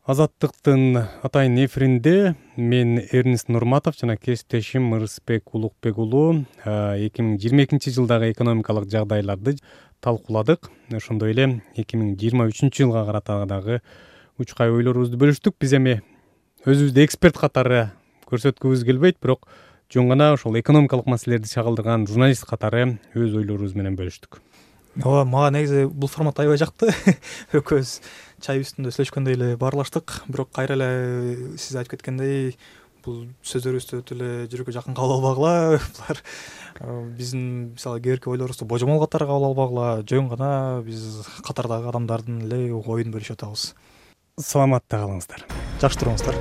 Азаттыктын атайын эфиринде мен Эрнест Нурматов жана кесиптешим Ырысбек Улукбек уулу 2022 жылдагы экономикалык жагдайларды талкууладык. Ошондой эле 2023 жылга карата дагы учкай ойлорубузду бөлүштүк. Биз эми өзүбүздү эксперт катары көрсөткүбүз келбейт, бирок жөн гана ошол экономикалык маселелерди чагылдырган журналист катары өз ойлорубуз менен бөлүштүк. Ооба, мага негизи бул формат аябай жакты. Экөөбүз чай үстүндө сүйлөшкөндөй эле баарлаштык. Бирок кайра эле сиз айтып кеткендей, бул сөздөрүбүздү өтө эле жүрөккө жакын кабыл албагыла. Булар биздин мисалы кээбирки ойлорубузду божомол катары кабыл албагыла. Жөн гана биз катардагы адамдардын эле оюн бөлүшүп атабыз. Саламатта калыңыздар. Жакшы туруңуздар.